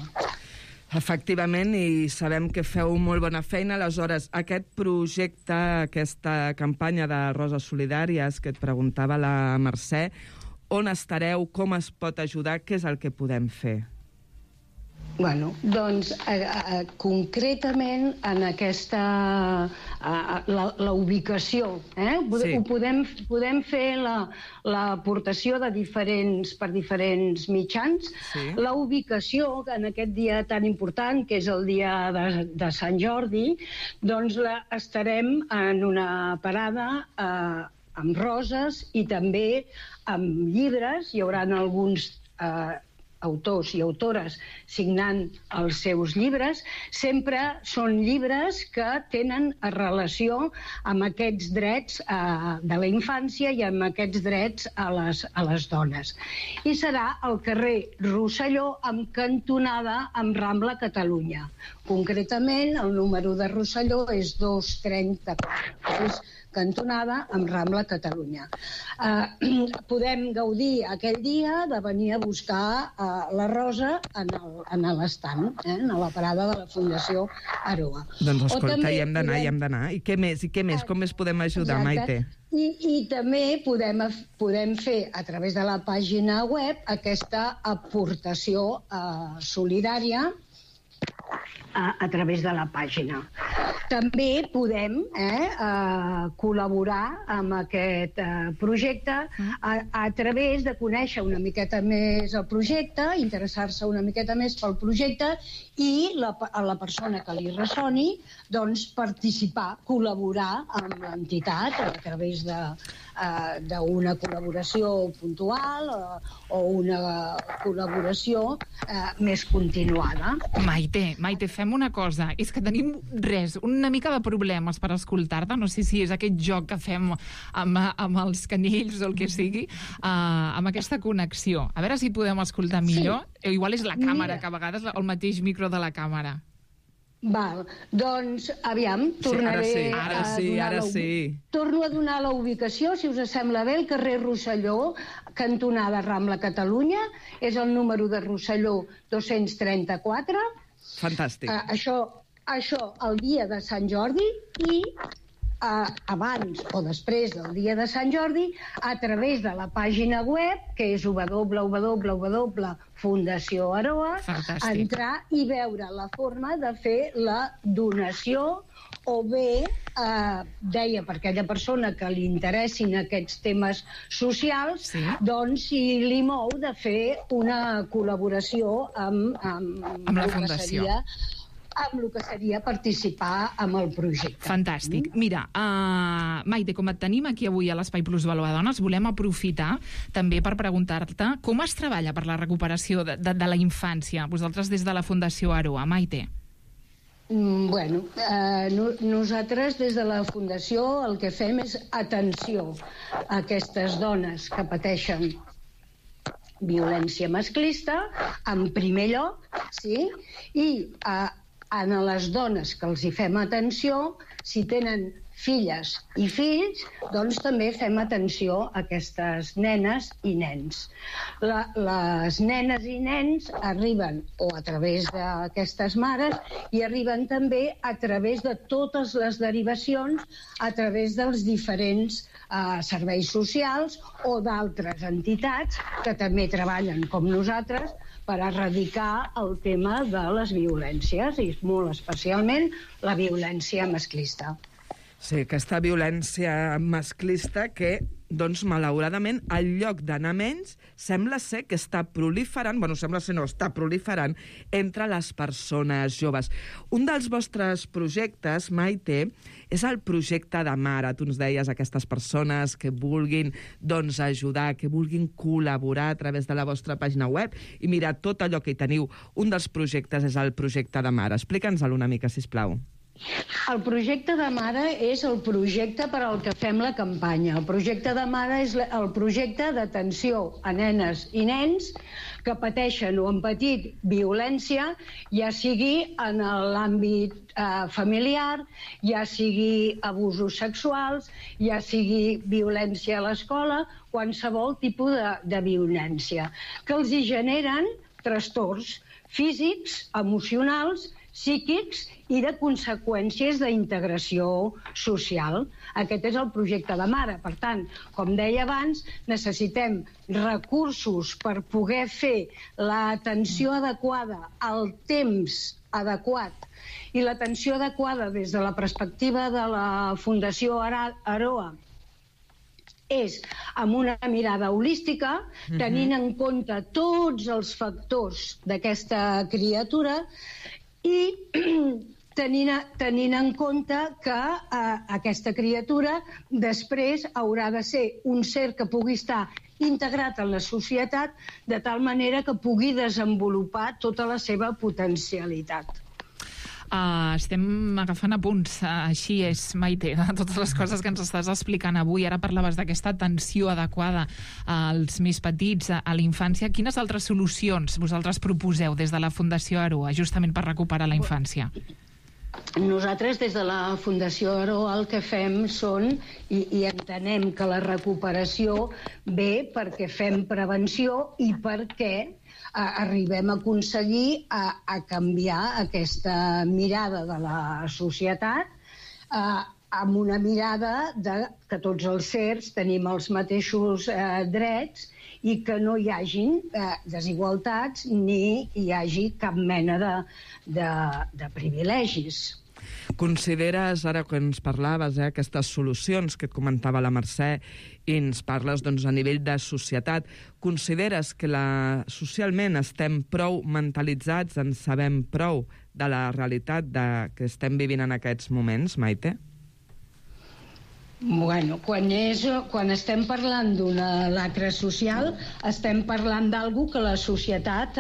Efectivament, i sabem que feu molt bona feina. Aleshores, aquest projecte, aquesta campanya de Roses Solidàries que et preguntava la Mercè, on estareu, com es pot ajudar, què és el que podem fer? Bueno, doncs, concretament en aquesta... la ubicació, Sí. Podem fer l'aportació per diferents mitjans. Sí. La ubicació, en aquest dia tan important, que és el dia de Sant Jordi, doncs estarem en una parada amb roses i també amb llibres. Hi haurà alguns autors i autores signant els seus llibres. Sempre són llibres que tenen relació amb aquests drets de la infància i amb aquests drets a les dones. I serà al carrer Rosselló amb cantonada amb Rambla Catalunya. Concretament, el número de Rosselló és 234, és cantonada amb Rambla Catalunya. Podem gaudir aquell dia de venir a buscar la rosa en l'estant, a la parada de la Fundació Aroa. Doncs escolta, hi hem d'anar. I què més? Com més podem ajudar, Maite? I també podem fer a través de la pàgina web aquesta aportació solidària a través de la pàgina. També podem col·laborar amb aquest projecte a través de conèixer una miqueta més el projecte, interessar-se una miqueta més pel projecte i a la persona que li ressoni participar, col·laborar amb l'entitat a través d'una col·laboració puntual o una col·laboració més continuada. Maite, fem una cosa. És que tenim una mica de problemes per escoltar-te. No sé si és aquest joc que fem amb els canells o el que sigui, amb aquesta connexió. A veure si podem escoltar millor. Sí. Igual és la càmera, que a vegades el mateix micro de la càmera. Val, doncs, aviam, tornaré Ara sí. Torno a donar la ubicació, si us sembla bé, el carrer Rosselló, cantonada Rambla Catalunya, és el número de Rosselló 234. Fantàstic. Això el dia de Sant Jordi i abans o després del dia de Sant Jordi, a través de la pàgina web, que és www.Fundació Aroa, entrar i veure la forma de fer la donació o bé, deia, per aquella persona que li interessin aquests temes socials, doncs si li mou de fer una col·laboració amb la Fundació. Amb el que seria participar en el projecte. Fantàstic. Mira, Maite, com et tenim aquí avui a l'Espai Plus Valor a Dones, volem aprofitar també per preguntar-te com es treballa per la recuperació de la infància, vosaltres des de la Fundació Aroa, Maite? Bueno, nosaltres des de la Fundació el que fem és atenció a aquestes dones que pateixen violència masclista, en primer lloc, sí? I a les dones que els hi fem atenció, si tenen filles i fills, doncs també fem atenció a aquestes nenes i nens. Les nenes i nens arriben o a través d'aquestes mares i arriben també a través de totes les derivacions, a través dels diferents serveis socials o d'altres entitats que també treballen com nosaltres per erradicar el tema de les violències, i molt especialment la violència masclista. Sí, aquesta violència masclista que, doncs, malauradament, al lloc d'anar menys, sembla ser que està proliferant, està proliferant entre les persones joves. Un dels vostres projectes, Maite, és el projecte de Mare. Tu ens deies aquestes persones que vulguin ajudar, que vulguin col·laborar a través de la vostra pàgina web i mirar tot allò que hi teniu. Un dels projectes és el projecte de Mare. Explica'ns-el una mica, sisplau. El projecte de Mare és el projecte per al que fem la campanya. El projecte de Mare és el projecte d'atenció a nenes i nens que pateixen o han patit violència, ja sigui en l'àmbit familiar, ja sigui abusos sexuals, ja sigui violència a l'escola, qualsevol tipus de violència, que els hi generen trastorns físics, emocionals, psíquics i de conseqüències d'integració social. Aquest és el projecte de Mare. Per tant, com deia abans, necessitem recursos per poder fer l'atenció adequada al temps adequat. I l'atenció adequada des de la perspectiva de la Fundació Aroa és amb una mirada holística, tenint en compte tots els factors d'aquesta criatura i tenint en compte que aquesta criatura després haurà de ser un ser que pugui estar integrat en la societat de tal manera que pugui desenvolupar tota la seva potencialitat. Estem agafant apunts, així és, Maite, de totes les coses que ens estàs explicant avui. Ara parlaves d'aquesta atenció adequada als més petits, a la infància. Quines altres solucions vosaltres proposeu des de la Fundació Aroa, justament per recuperar la infància? Nosaltres, des de la Fundació Aroa, el que fem són, i entenem que la recuperació ve perquè fem prevenció i perquè arribem a aconseguir a canviar aquesta mirada de la societat amb una mirada que tots els sers tenim els mateixos drets i que no hi hagin desigualtats ni hi hagi cap mena de privilegis. Consideres, ara que ens parlaves, aquestes solucions que et comentava la Mercè, i ens parles a nivell de societat, consideres que socialment estem prou mentalitzats, en sabem prou de la realitat que estem vivint en aquests moments, Maite? Bueno, quan estem parlant d'una lacra social, estem parlant d'algú que la societat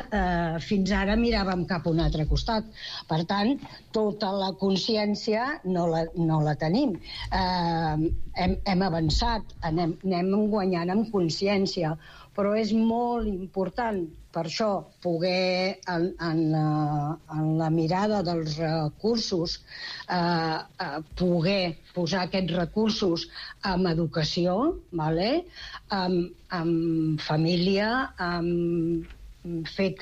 fins ara miràvem cap a un altre costat. Per tant, tota la consciència no la tenim. Hem avançat, anem guanyant en consciència, però és molt important per això poder, en la mirada dels recursos, poder posar aquests recursos en educació, en família, fer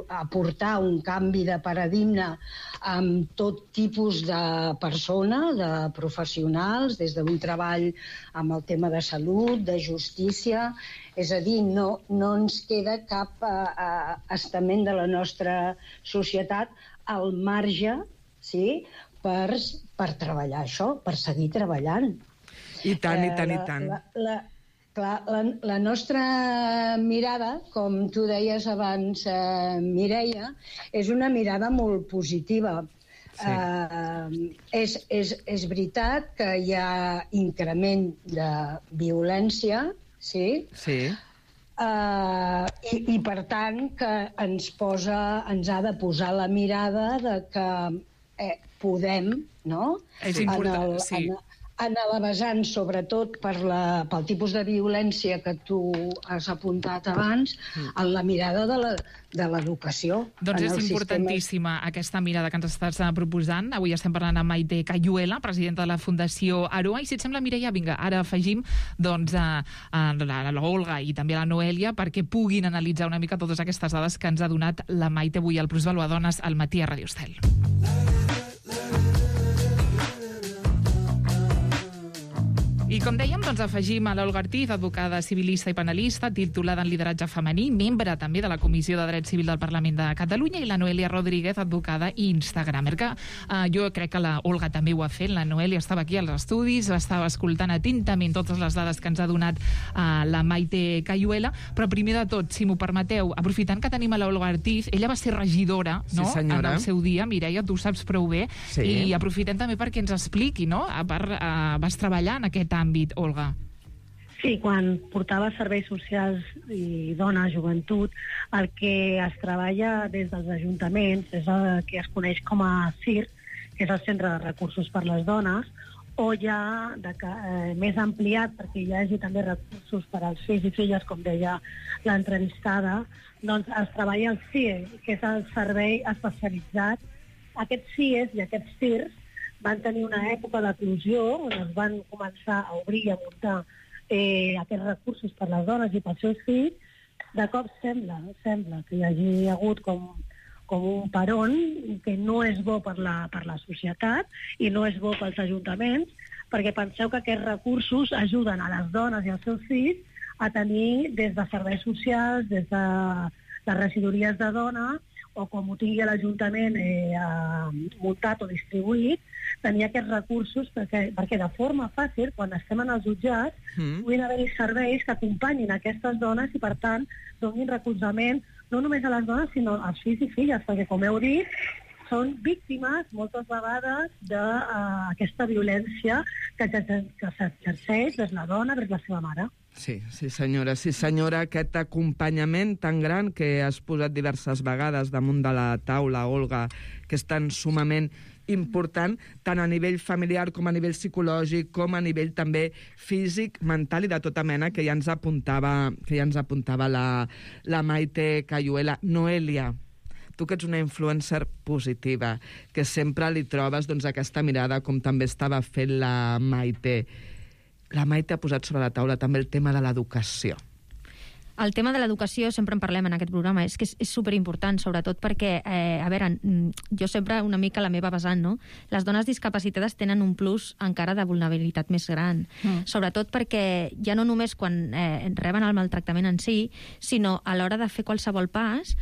aportar un canvi de paradigma amb tot tipus de persona, de professionals, des d'un treball amb el tema de salut, de justícia. És a dir, no ens queda cap estament de la nostra societat al marge, sí, per treballar això, per seguir treballant. I tant, i tant, i tant. La nostra mirada, com tu deies abans, Mireia, és una mirada molt positiva. Sí. És veritat que hi ha increment de violència, sí? Sí. I per tant que ens ha de posar la mirada de que podem, no? És important, sí. En la vessant, sobretot pel tipus de violència que tu has apuntat abans, en la mirada de l'educació. Doncs és importantíssima aquesta mirada que ens estàs proposant. Avui estem parlant amb Maite Cayuela, presidenta de la Fundació Aroa, i si et sembla, Mireia, vinga, ara afegim l'Olga i també la Noèlia perquè puguin analitzar una mica totes aquestes dades que ens ha donat la Maite avui al Plusvalor Dones al matí a Ràdio Estel. I com dèiem, doncs afegim a l'Olga Ortiz, advocada civilista i penalista, titulada en lideratge femení, membre també de la Comissió de Dret Civil del Parlament de Catalunya, i la Noèlia Rodríguez, advocada i instagramer, que jo crec que la Olga també ho ha fet. La Noèlia estava aquí als estudis, estava escoltant atentament totes les dades que ens ha donat la Maite Cayuela, però primer de tot, si m'ho permeteu, aprofitant que tenim a l'Olga Ortiz, ella va ser regidora, no?, en el seu dia, Mireia, tu ho saps prou bé, sí. I aprofitem també perquè ens expliqui, no?, vas treballar en aquest àmbit, Olga. Sí, quan portava serveis socials i dona, joventut, el que es treballa des dels ajuntaments és el que es coneix com a CIR, que és el Centre de Recursos per les Dones, o ja més ampliat, perquè hi hagi també recursos per als fills i filles, com deia l'entrevistada, doncs es treballa el CIE, que és el servei especialitzat. Aquests CIEs i aquests CIRs van tenir una època d'eclosió on es van començar a obrir i a muntar aquests recursos per les dones i pels seus fills. De cop sembla que hi hagi hagut com un peron que no és bo per la societat i no és bo pels ajuntaments, perquè penseu que aquests recursos ajuden a les dones i als seus fills a tenir des de serveis socials, des de les regidories de dona, o com ho tingui l'Ajuntament muntat o distribuït, tenir aquests recursos perquè de forma fàcil, quan estem en els jutjats, puguin haver-hi serveis que acompanyin aquestes dones i, per tant, donin recolzament no només a les dones, sinó als fills i filles, perquè, com heu dit, són víctimes, moltes vegades, d'aquesta violència que s'exerceix des la dona, des la seva mare. Sí, senyora. Sí, senyora, aquest acompanyament tan gran que has posat diverses vegades damunt de la taula, Olga, que és tan sumament important, tant a nivell familiar com a nivell psicològic, com a nivell també físic, mental i de tota mena, que ja ens apuntava la Maite Cayuela. Noelia, tu que ets una influencer positiva, que sempre li trobes aquesta mirada, com també estava fent la Maite. La Maite ha posat sobre la taula també el tema de l'educació. El tema de l'educació, sempre en parlem en aquest programa, és que és superimportant, sobretot perquè, a veure, jo sempre una mica la meva vessant, no? Les dones discapacitades tenen un plus encara de vulnerabilitat més gran, sobretot perquè ja no només quan reben el maltractament en si, sinó a l'hora de fer qualsevol pas,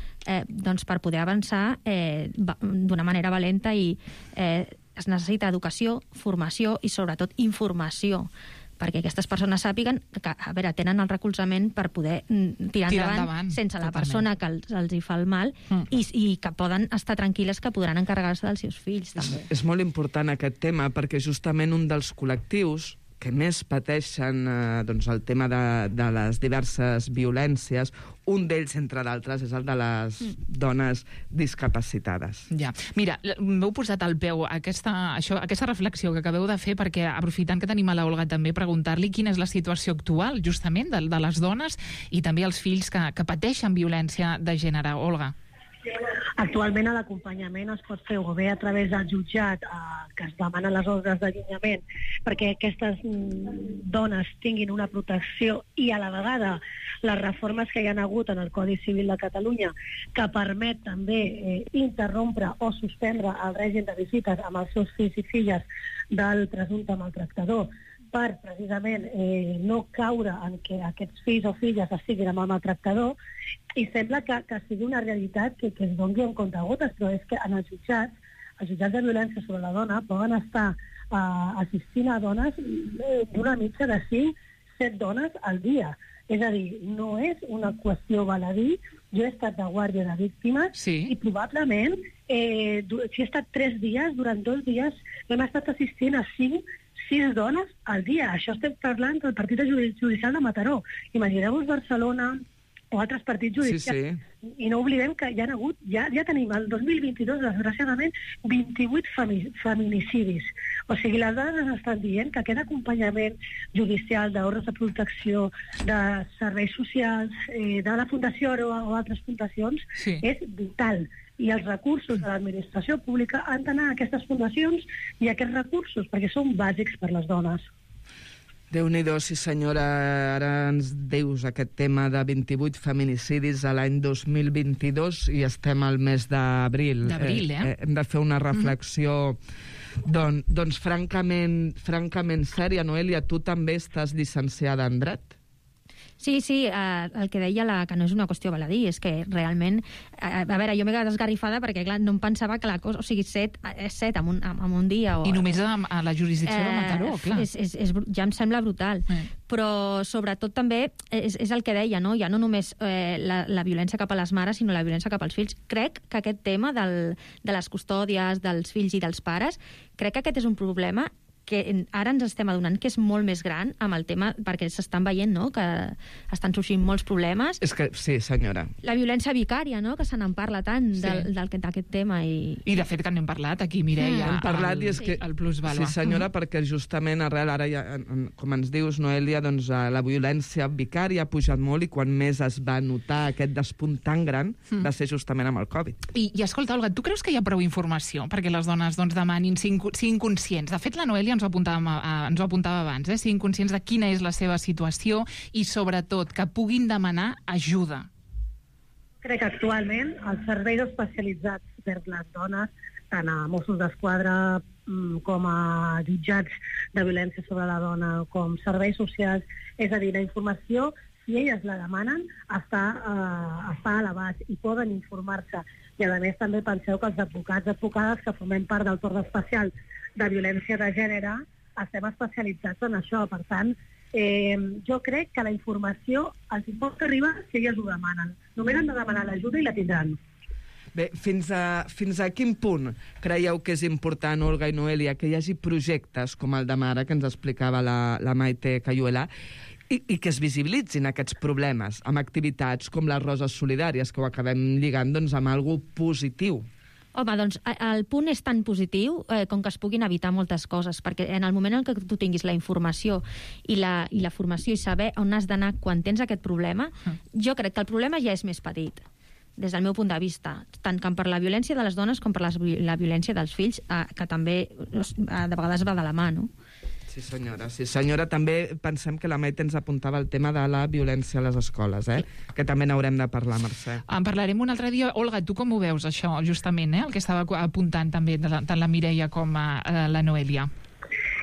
doncs per poder avançar d'una manera valenta i es necessita educació, formació i sobretot informació, perquè aquestes persones sàpiguen que, a veure, tenen el recolzament per poder tirar endavant sense la persona que els hi fa el mal i que poden estar tranquil·les que podran encarregar-se dels seus fills, també. És molt important aquest tema, perquè justament un dels col·lectius que més pateixen el tema de les diverses violències, un d'ells, entre d'altres, és el de les dones discapacitades. Ja. Mira, m'heu posat al peu aquesta reflexió que acabeu de fer, perquè, aprofitant que tenim a la Olga també, preguntar-li quina és la situació actual, justament, de les dones i també els fills que pateixen violència de gènere. Olga. Actualment l'acompanyament es pot fer o bé a través del jutjat que es demanen les ordres d'allunyament perquè aquestes dones tinguin una protecció i a la vegada les reformes que hi ha hagut en el Codi Civil de Catalunya que permet també interrompre o suspendre el règim de visites amb els seus fills i filles del presumpte maltractador per precisament no caure en què aquests fills o filles estiguin amb el maltractador i sembla que sigui una realitat que es doni en comptagotes, però és que en els jutjats de violència sobre la dona poden estar assistint a dones d'una mitja de 5-7 dones al dia. És a dir, no és una qüestió baladí. Jo he estat de guàrdia de víctimes i probablement si he estat 3 dies, durant 2 dies hem estat assistint a 5-6 dones al dia. Això estem parlant del partit judicial de Mataró. Imagineu-vos Barcelona o altres partits judicials. I no oblidem que hi ha hagut, ja tenim el 2022, desgraciadament, 28 feminicidis. O sigui, les dones ens estan dient que aquest acompanyament judicial d'ordres de protecció, de serveis socials, de la Fundació Oro o altres fundacions, és vital. I els recursos de l'administració pública han d'anar a aquestes fundacions i a aquests recursos, perquè són bàsics per les dones. Déu-n'hi-do, sí senyora, ara ens dius aquest tema de 28 feminicidis a l'any 2022 i estem al mes d'abril. D'abril, Hem de fer una reflexió doncs francament sèria. Noelia, tu també estàs llicenciada en dret? Sí, el que deia que no és una qüestió baladí, és que realment... A veure, jo m'he quedat esgarrifada perquè, clar, no em pensava que la cosa... O sigui, 7 en un dia... I només a la jurisdicció de Mataró, clar. Ja em sembla brutal. Però, sobretot, també és el que deia, no? Ja no només la violència cap a les mares, sinó la violència cap als fills. Crec que aquest tema de les custòdies, dels fills i dels pares, crec que aquest és un problema que ara ens estem adonant que és molt més gran amb el tema, perquè s'estan veient, no?, que estan sorgint molts problemes. És que, sí, senyora. La violència vicària, no?, que se n'en parla tant d'aquest tema. I de fet que n'hem parlat aquí, Mireia. Hem parlat i és que... El plusvalor. Sí, senyora, perquè justament arrel, ara ja, com ens dius, Noelia, doncs la violència vicària ha pujat molt i quan més es va notar aquest despunt tan gran va ser justament amb el Covid. I escolta, Olga, tu creus que hi ha prou informació perquè les dones demanin, siguin conscients? De fet, la Noelia ens ho apuntava abans, siguin conscients de quina és la seva situació i, sobretot, que puguin demanar ajuda. Crec que actualment els serveis especialitzats per les dones, tant a Mossos d'Esquadra com a jutjats de violència sobre la dona, com serveis socials, és a dir, la informació, si elles la demanen, està a l'abast i poden informar-se. I a més també penseu que els advocades que formem part del torn especial de violència de gènere estem especialitzats en això. Per tant, jo crec que la informació els pot arribar si elles ho demanen. Només han de demanar l'ajuda i la tindran. Bé, fins a quin punt creieu que és important, Olga i Noelia, que hi hagi projectes com el de Mare, que ens explicava la Maite Cayuela, i que es visibilitzin aquests problemes amb activitats com les Roses Solidàries, que ho acabem lligant amb algo positiu? Home, doncs el punt és tan positiu com que es puguin evitar moltes coses, perquè en el moment en què tu tinguis la informació i la formació i saber on has d'anar quan tens aquest problema, jo crec que el problema ja és més petit, des del meu punt de vista, tant per la violència de les dones com per la violència dels fills, que també de vegades va de la mà, no? Sí, senyora. Sí, senyora. També pensem que la Maite ens apuntava el tema de la violència a les escoles, que també n'haurem de parlar, Mercè. En parlarem un altre dia. Olga, tu com ho veus, això, justament, el que estava apuntant també tant la Mireia com la Noelia?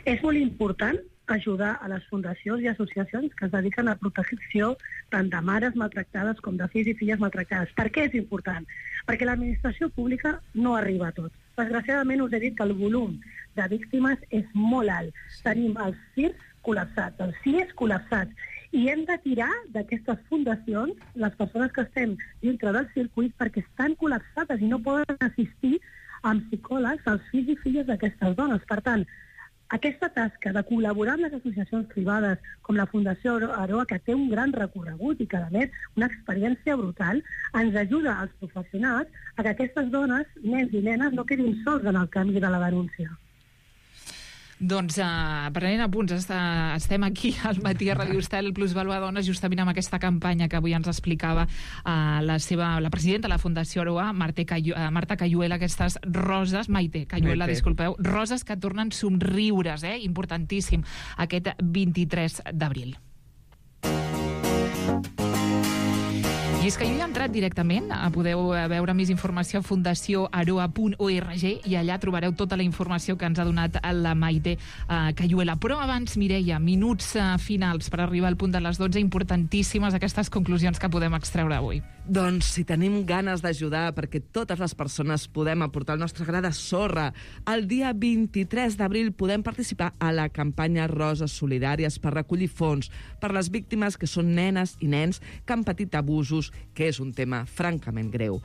És molt important ajudar a les fundacions i associacions que es dediquen a protecció tant de mares maltractades com de fills i filles maltractades. Per què és important? Perquè l'administració pública no arriba a tot. Desgraciadament us he dit que el volum de víctimes és molt alt. Tenim els CIRs col·lapsats, els CIEs col·lapsats, i hem de tirar d'aquestes fundacions les persones que estem dintre del circuit perquè estan col·lapsades i no poden assistir amb psicòlegs als fills i filles d'aquestes dones. Per tant, aquesta tasca de col·laborar amb les associacions privades com la Fundació Aroa, que té un gran recorregut i que, a més, una experiència brutal, ens ajuda als professionals a que aquestes dones, nens i nenes, no quedin sols en el camí de la denúncia. Doncs, prenent apunts, estem aquí al Matí a Radio Estel, Plusvalua Dones, justament amb aquesta campanya que avui ens explicava la presidenta de la Fundació Aroa, Marta Cayuela, aquestes roses, Maite Cayuela, disculpeu, roses que tornen somriures, importantíssim, aquest 23 d'abril. I és que jo he entrat directament, podeu veure més informació a fundacioaroa.org i allà trobareu tota la informació que ens ha donat la Maite Cayuela. Però abans, Mireia, minuts finals per arribar al punt de les 12, importantíssimes aquestes conclusions que podem extreure avui. Doncs si tenim ganes d'ajudar perquè totes les persones podem aportar el nostre gra de sorra, el dia 23 d'abril podem participar a la campanya Roses Solidàries per recollir fons per les víctimes que són nenes i nens que han patit abusos, que és un tema francament greu.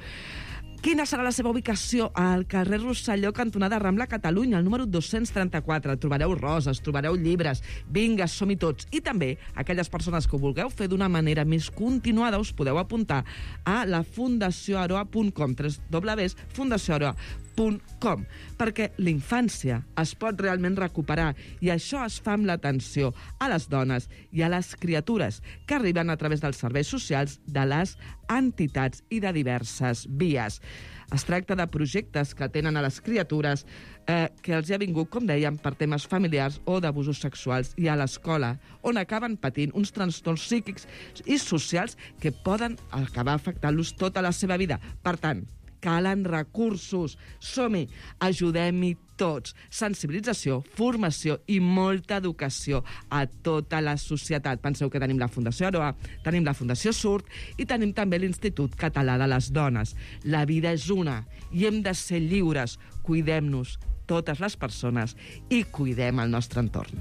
Quina serà la seva ubicació? Al carrer Rosselló, cantonada Rambla, Catalunya, al número 234. Trobareu roses, trobareu llibres. Vinga, som-hi tots. I també, aquelles persones que ho vulgueu fer d'una manera més continuada, us podeu apuntar a la fundacioaroa.com, www.fundacioaroa.com, perquè la infància es pot realment recuperar i això es fa amb l'atenció a les dones i a les criatures que arriben a través dels serveis socials de les entitats i de diverses vies. Es tracta de projectes que atenen a les criatures que els ha vingut, com dèiem, per temes familiars o d'abusos sexuals i a l'escola, on acaben patint uns trastorns psíquics i socials que poden acabar afectant-los tota la seva vida. Per tant, calen recursos. Som-hi, ajudem-hi tots. Sensibilització, formació i molta educació a tota la societat. Penseu que tenim la Fundació Aroa, tenim la Fundació Surt i tenim també l'Institut Català de les Dones. La vida és una i hem de ser lliures. Cuidem-nos, totes les persones, i cuidem el nostre entorn.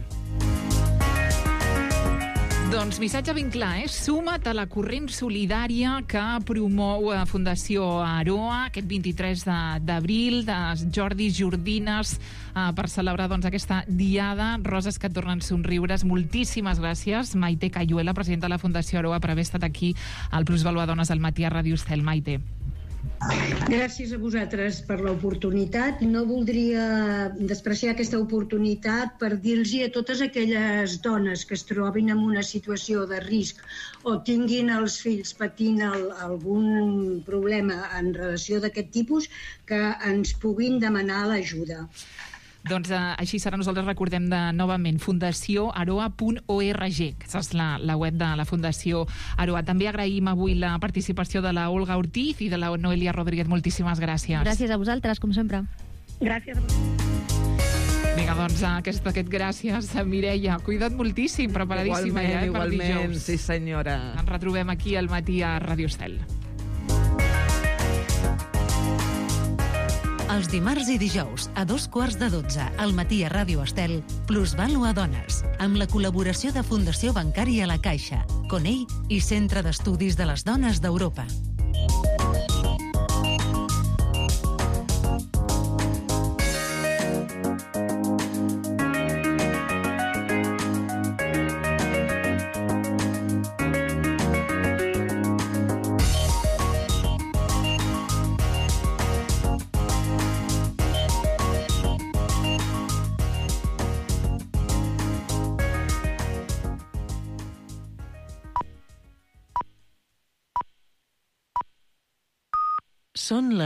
Doncs missatge ben clar, suma't a la corrent solidària que promou Fundació Aroa aquest 23 d'abril, de Jordis, Jordines, per celebrar aquesta diada, roses que tornen somriures. Moltíssimes gràcies, Maite Cayuela, presidenta de la Fundació Aroa, per haver estat aquí al Plusvalua Dones al Matí a Radio Estel. Maite. Gràcies a vosaltres per l'oportunitat. No voldria despreciar aquesta oportunitat per dir-los a totes aquelles dones que es trobin en una situació de risc o tinguin els fills patint algun problema en relació d'aquest tipus que ens puguin demanar l'ajuda. Doncs així serà. Nosaltres recordem novament fundacioaroa.org, que és la web de la Fundació Aroa. També agraïm avui la participació de la Olga Ortiz i de la Noelia Rodríguez. Moltíssimes gràcies. Gràcies a vosaltres, com sempre. Gràcies a vosaltres. Vinga, doncs, aquest gràcies, Mireia. Cuida't moltíssim, preparadíssima per dijous. Igualment, sí senyora. Ens retrobem aquí al Matí a Radio Estel. Els dimarts i dijous, a 2:15, al Matí a Ràdio Estel, Plusvalua Dones, amb la col·laboració de Fundació Bancària La Caixa, Conell i Centre d'Estudis de les Dones d'Europa. Són les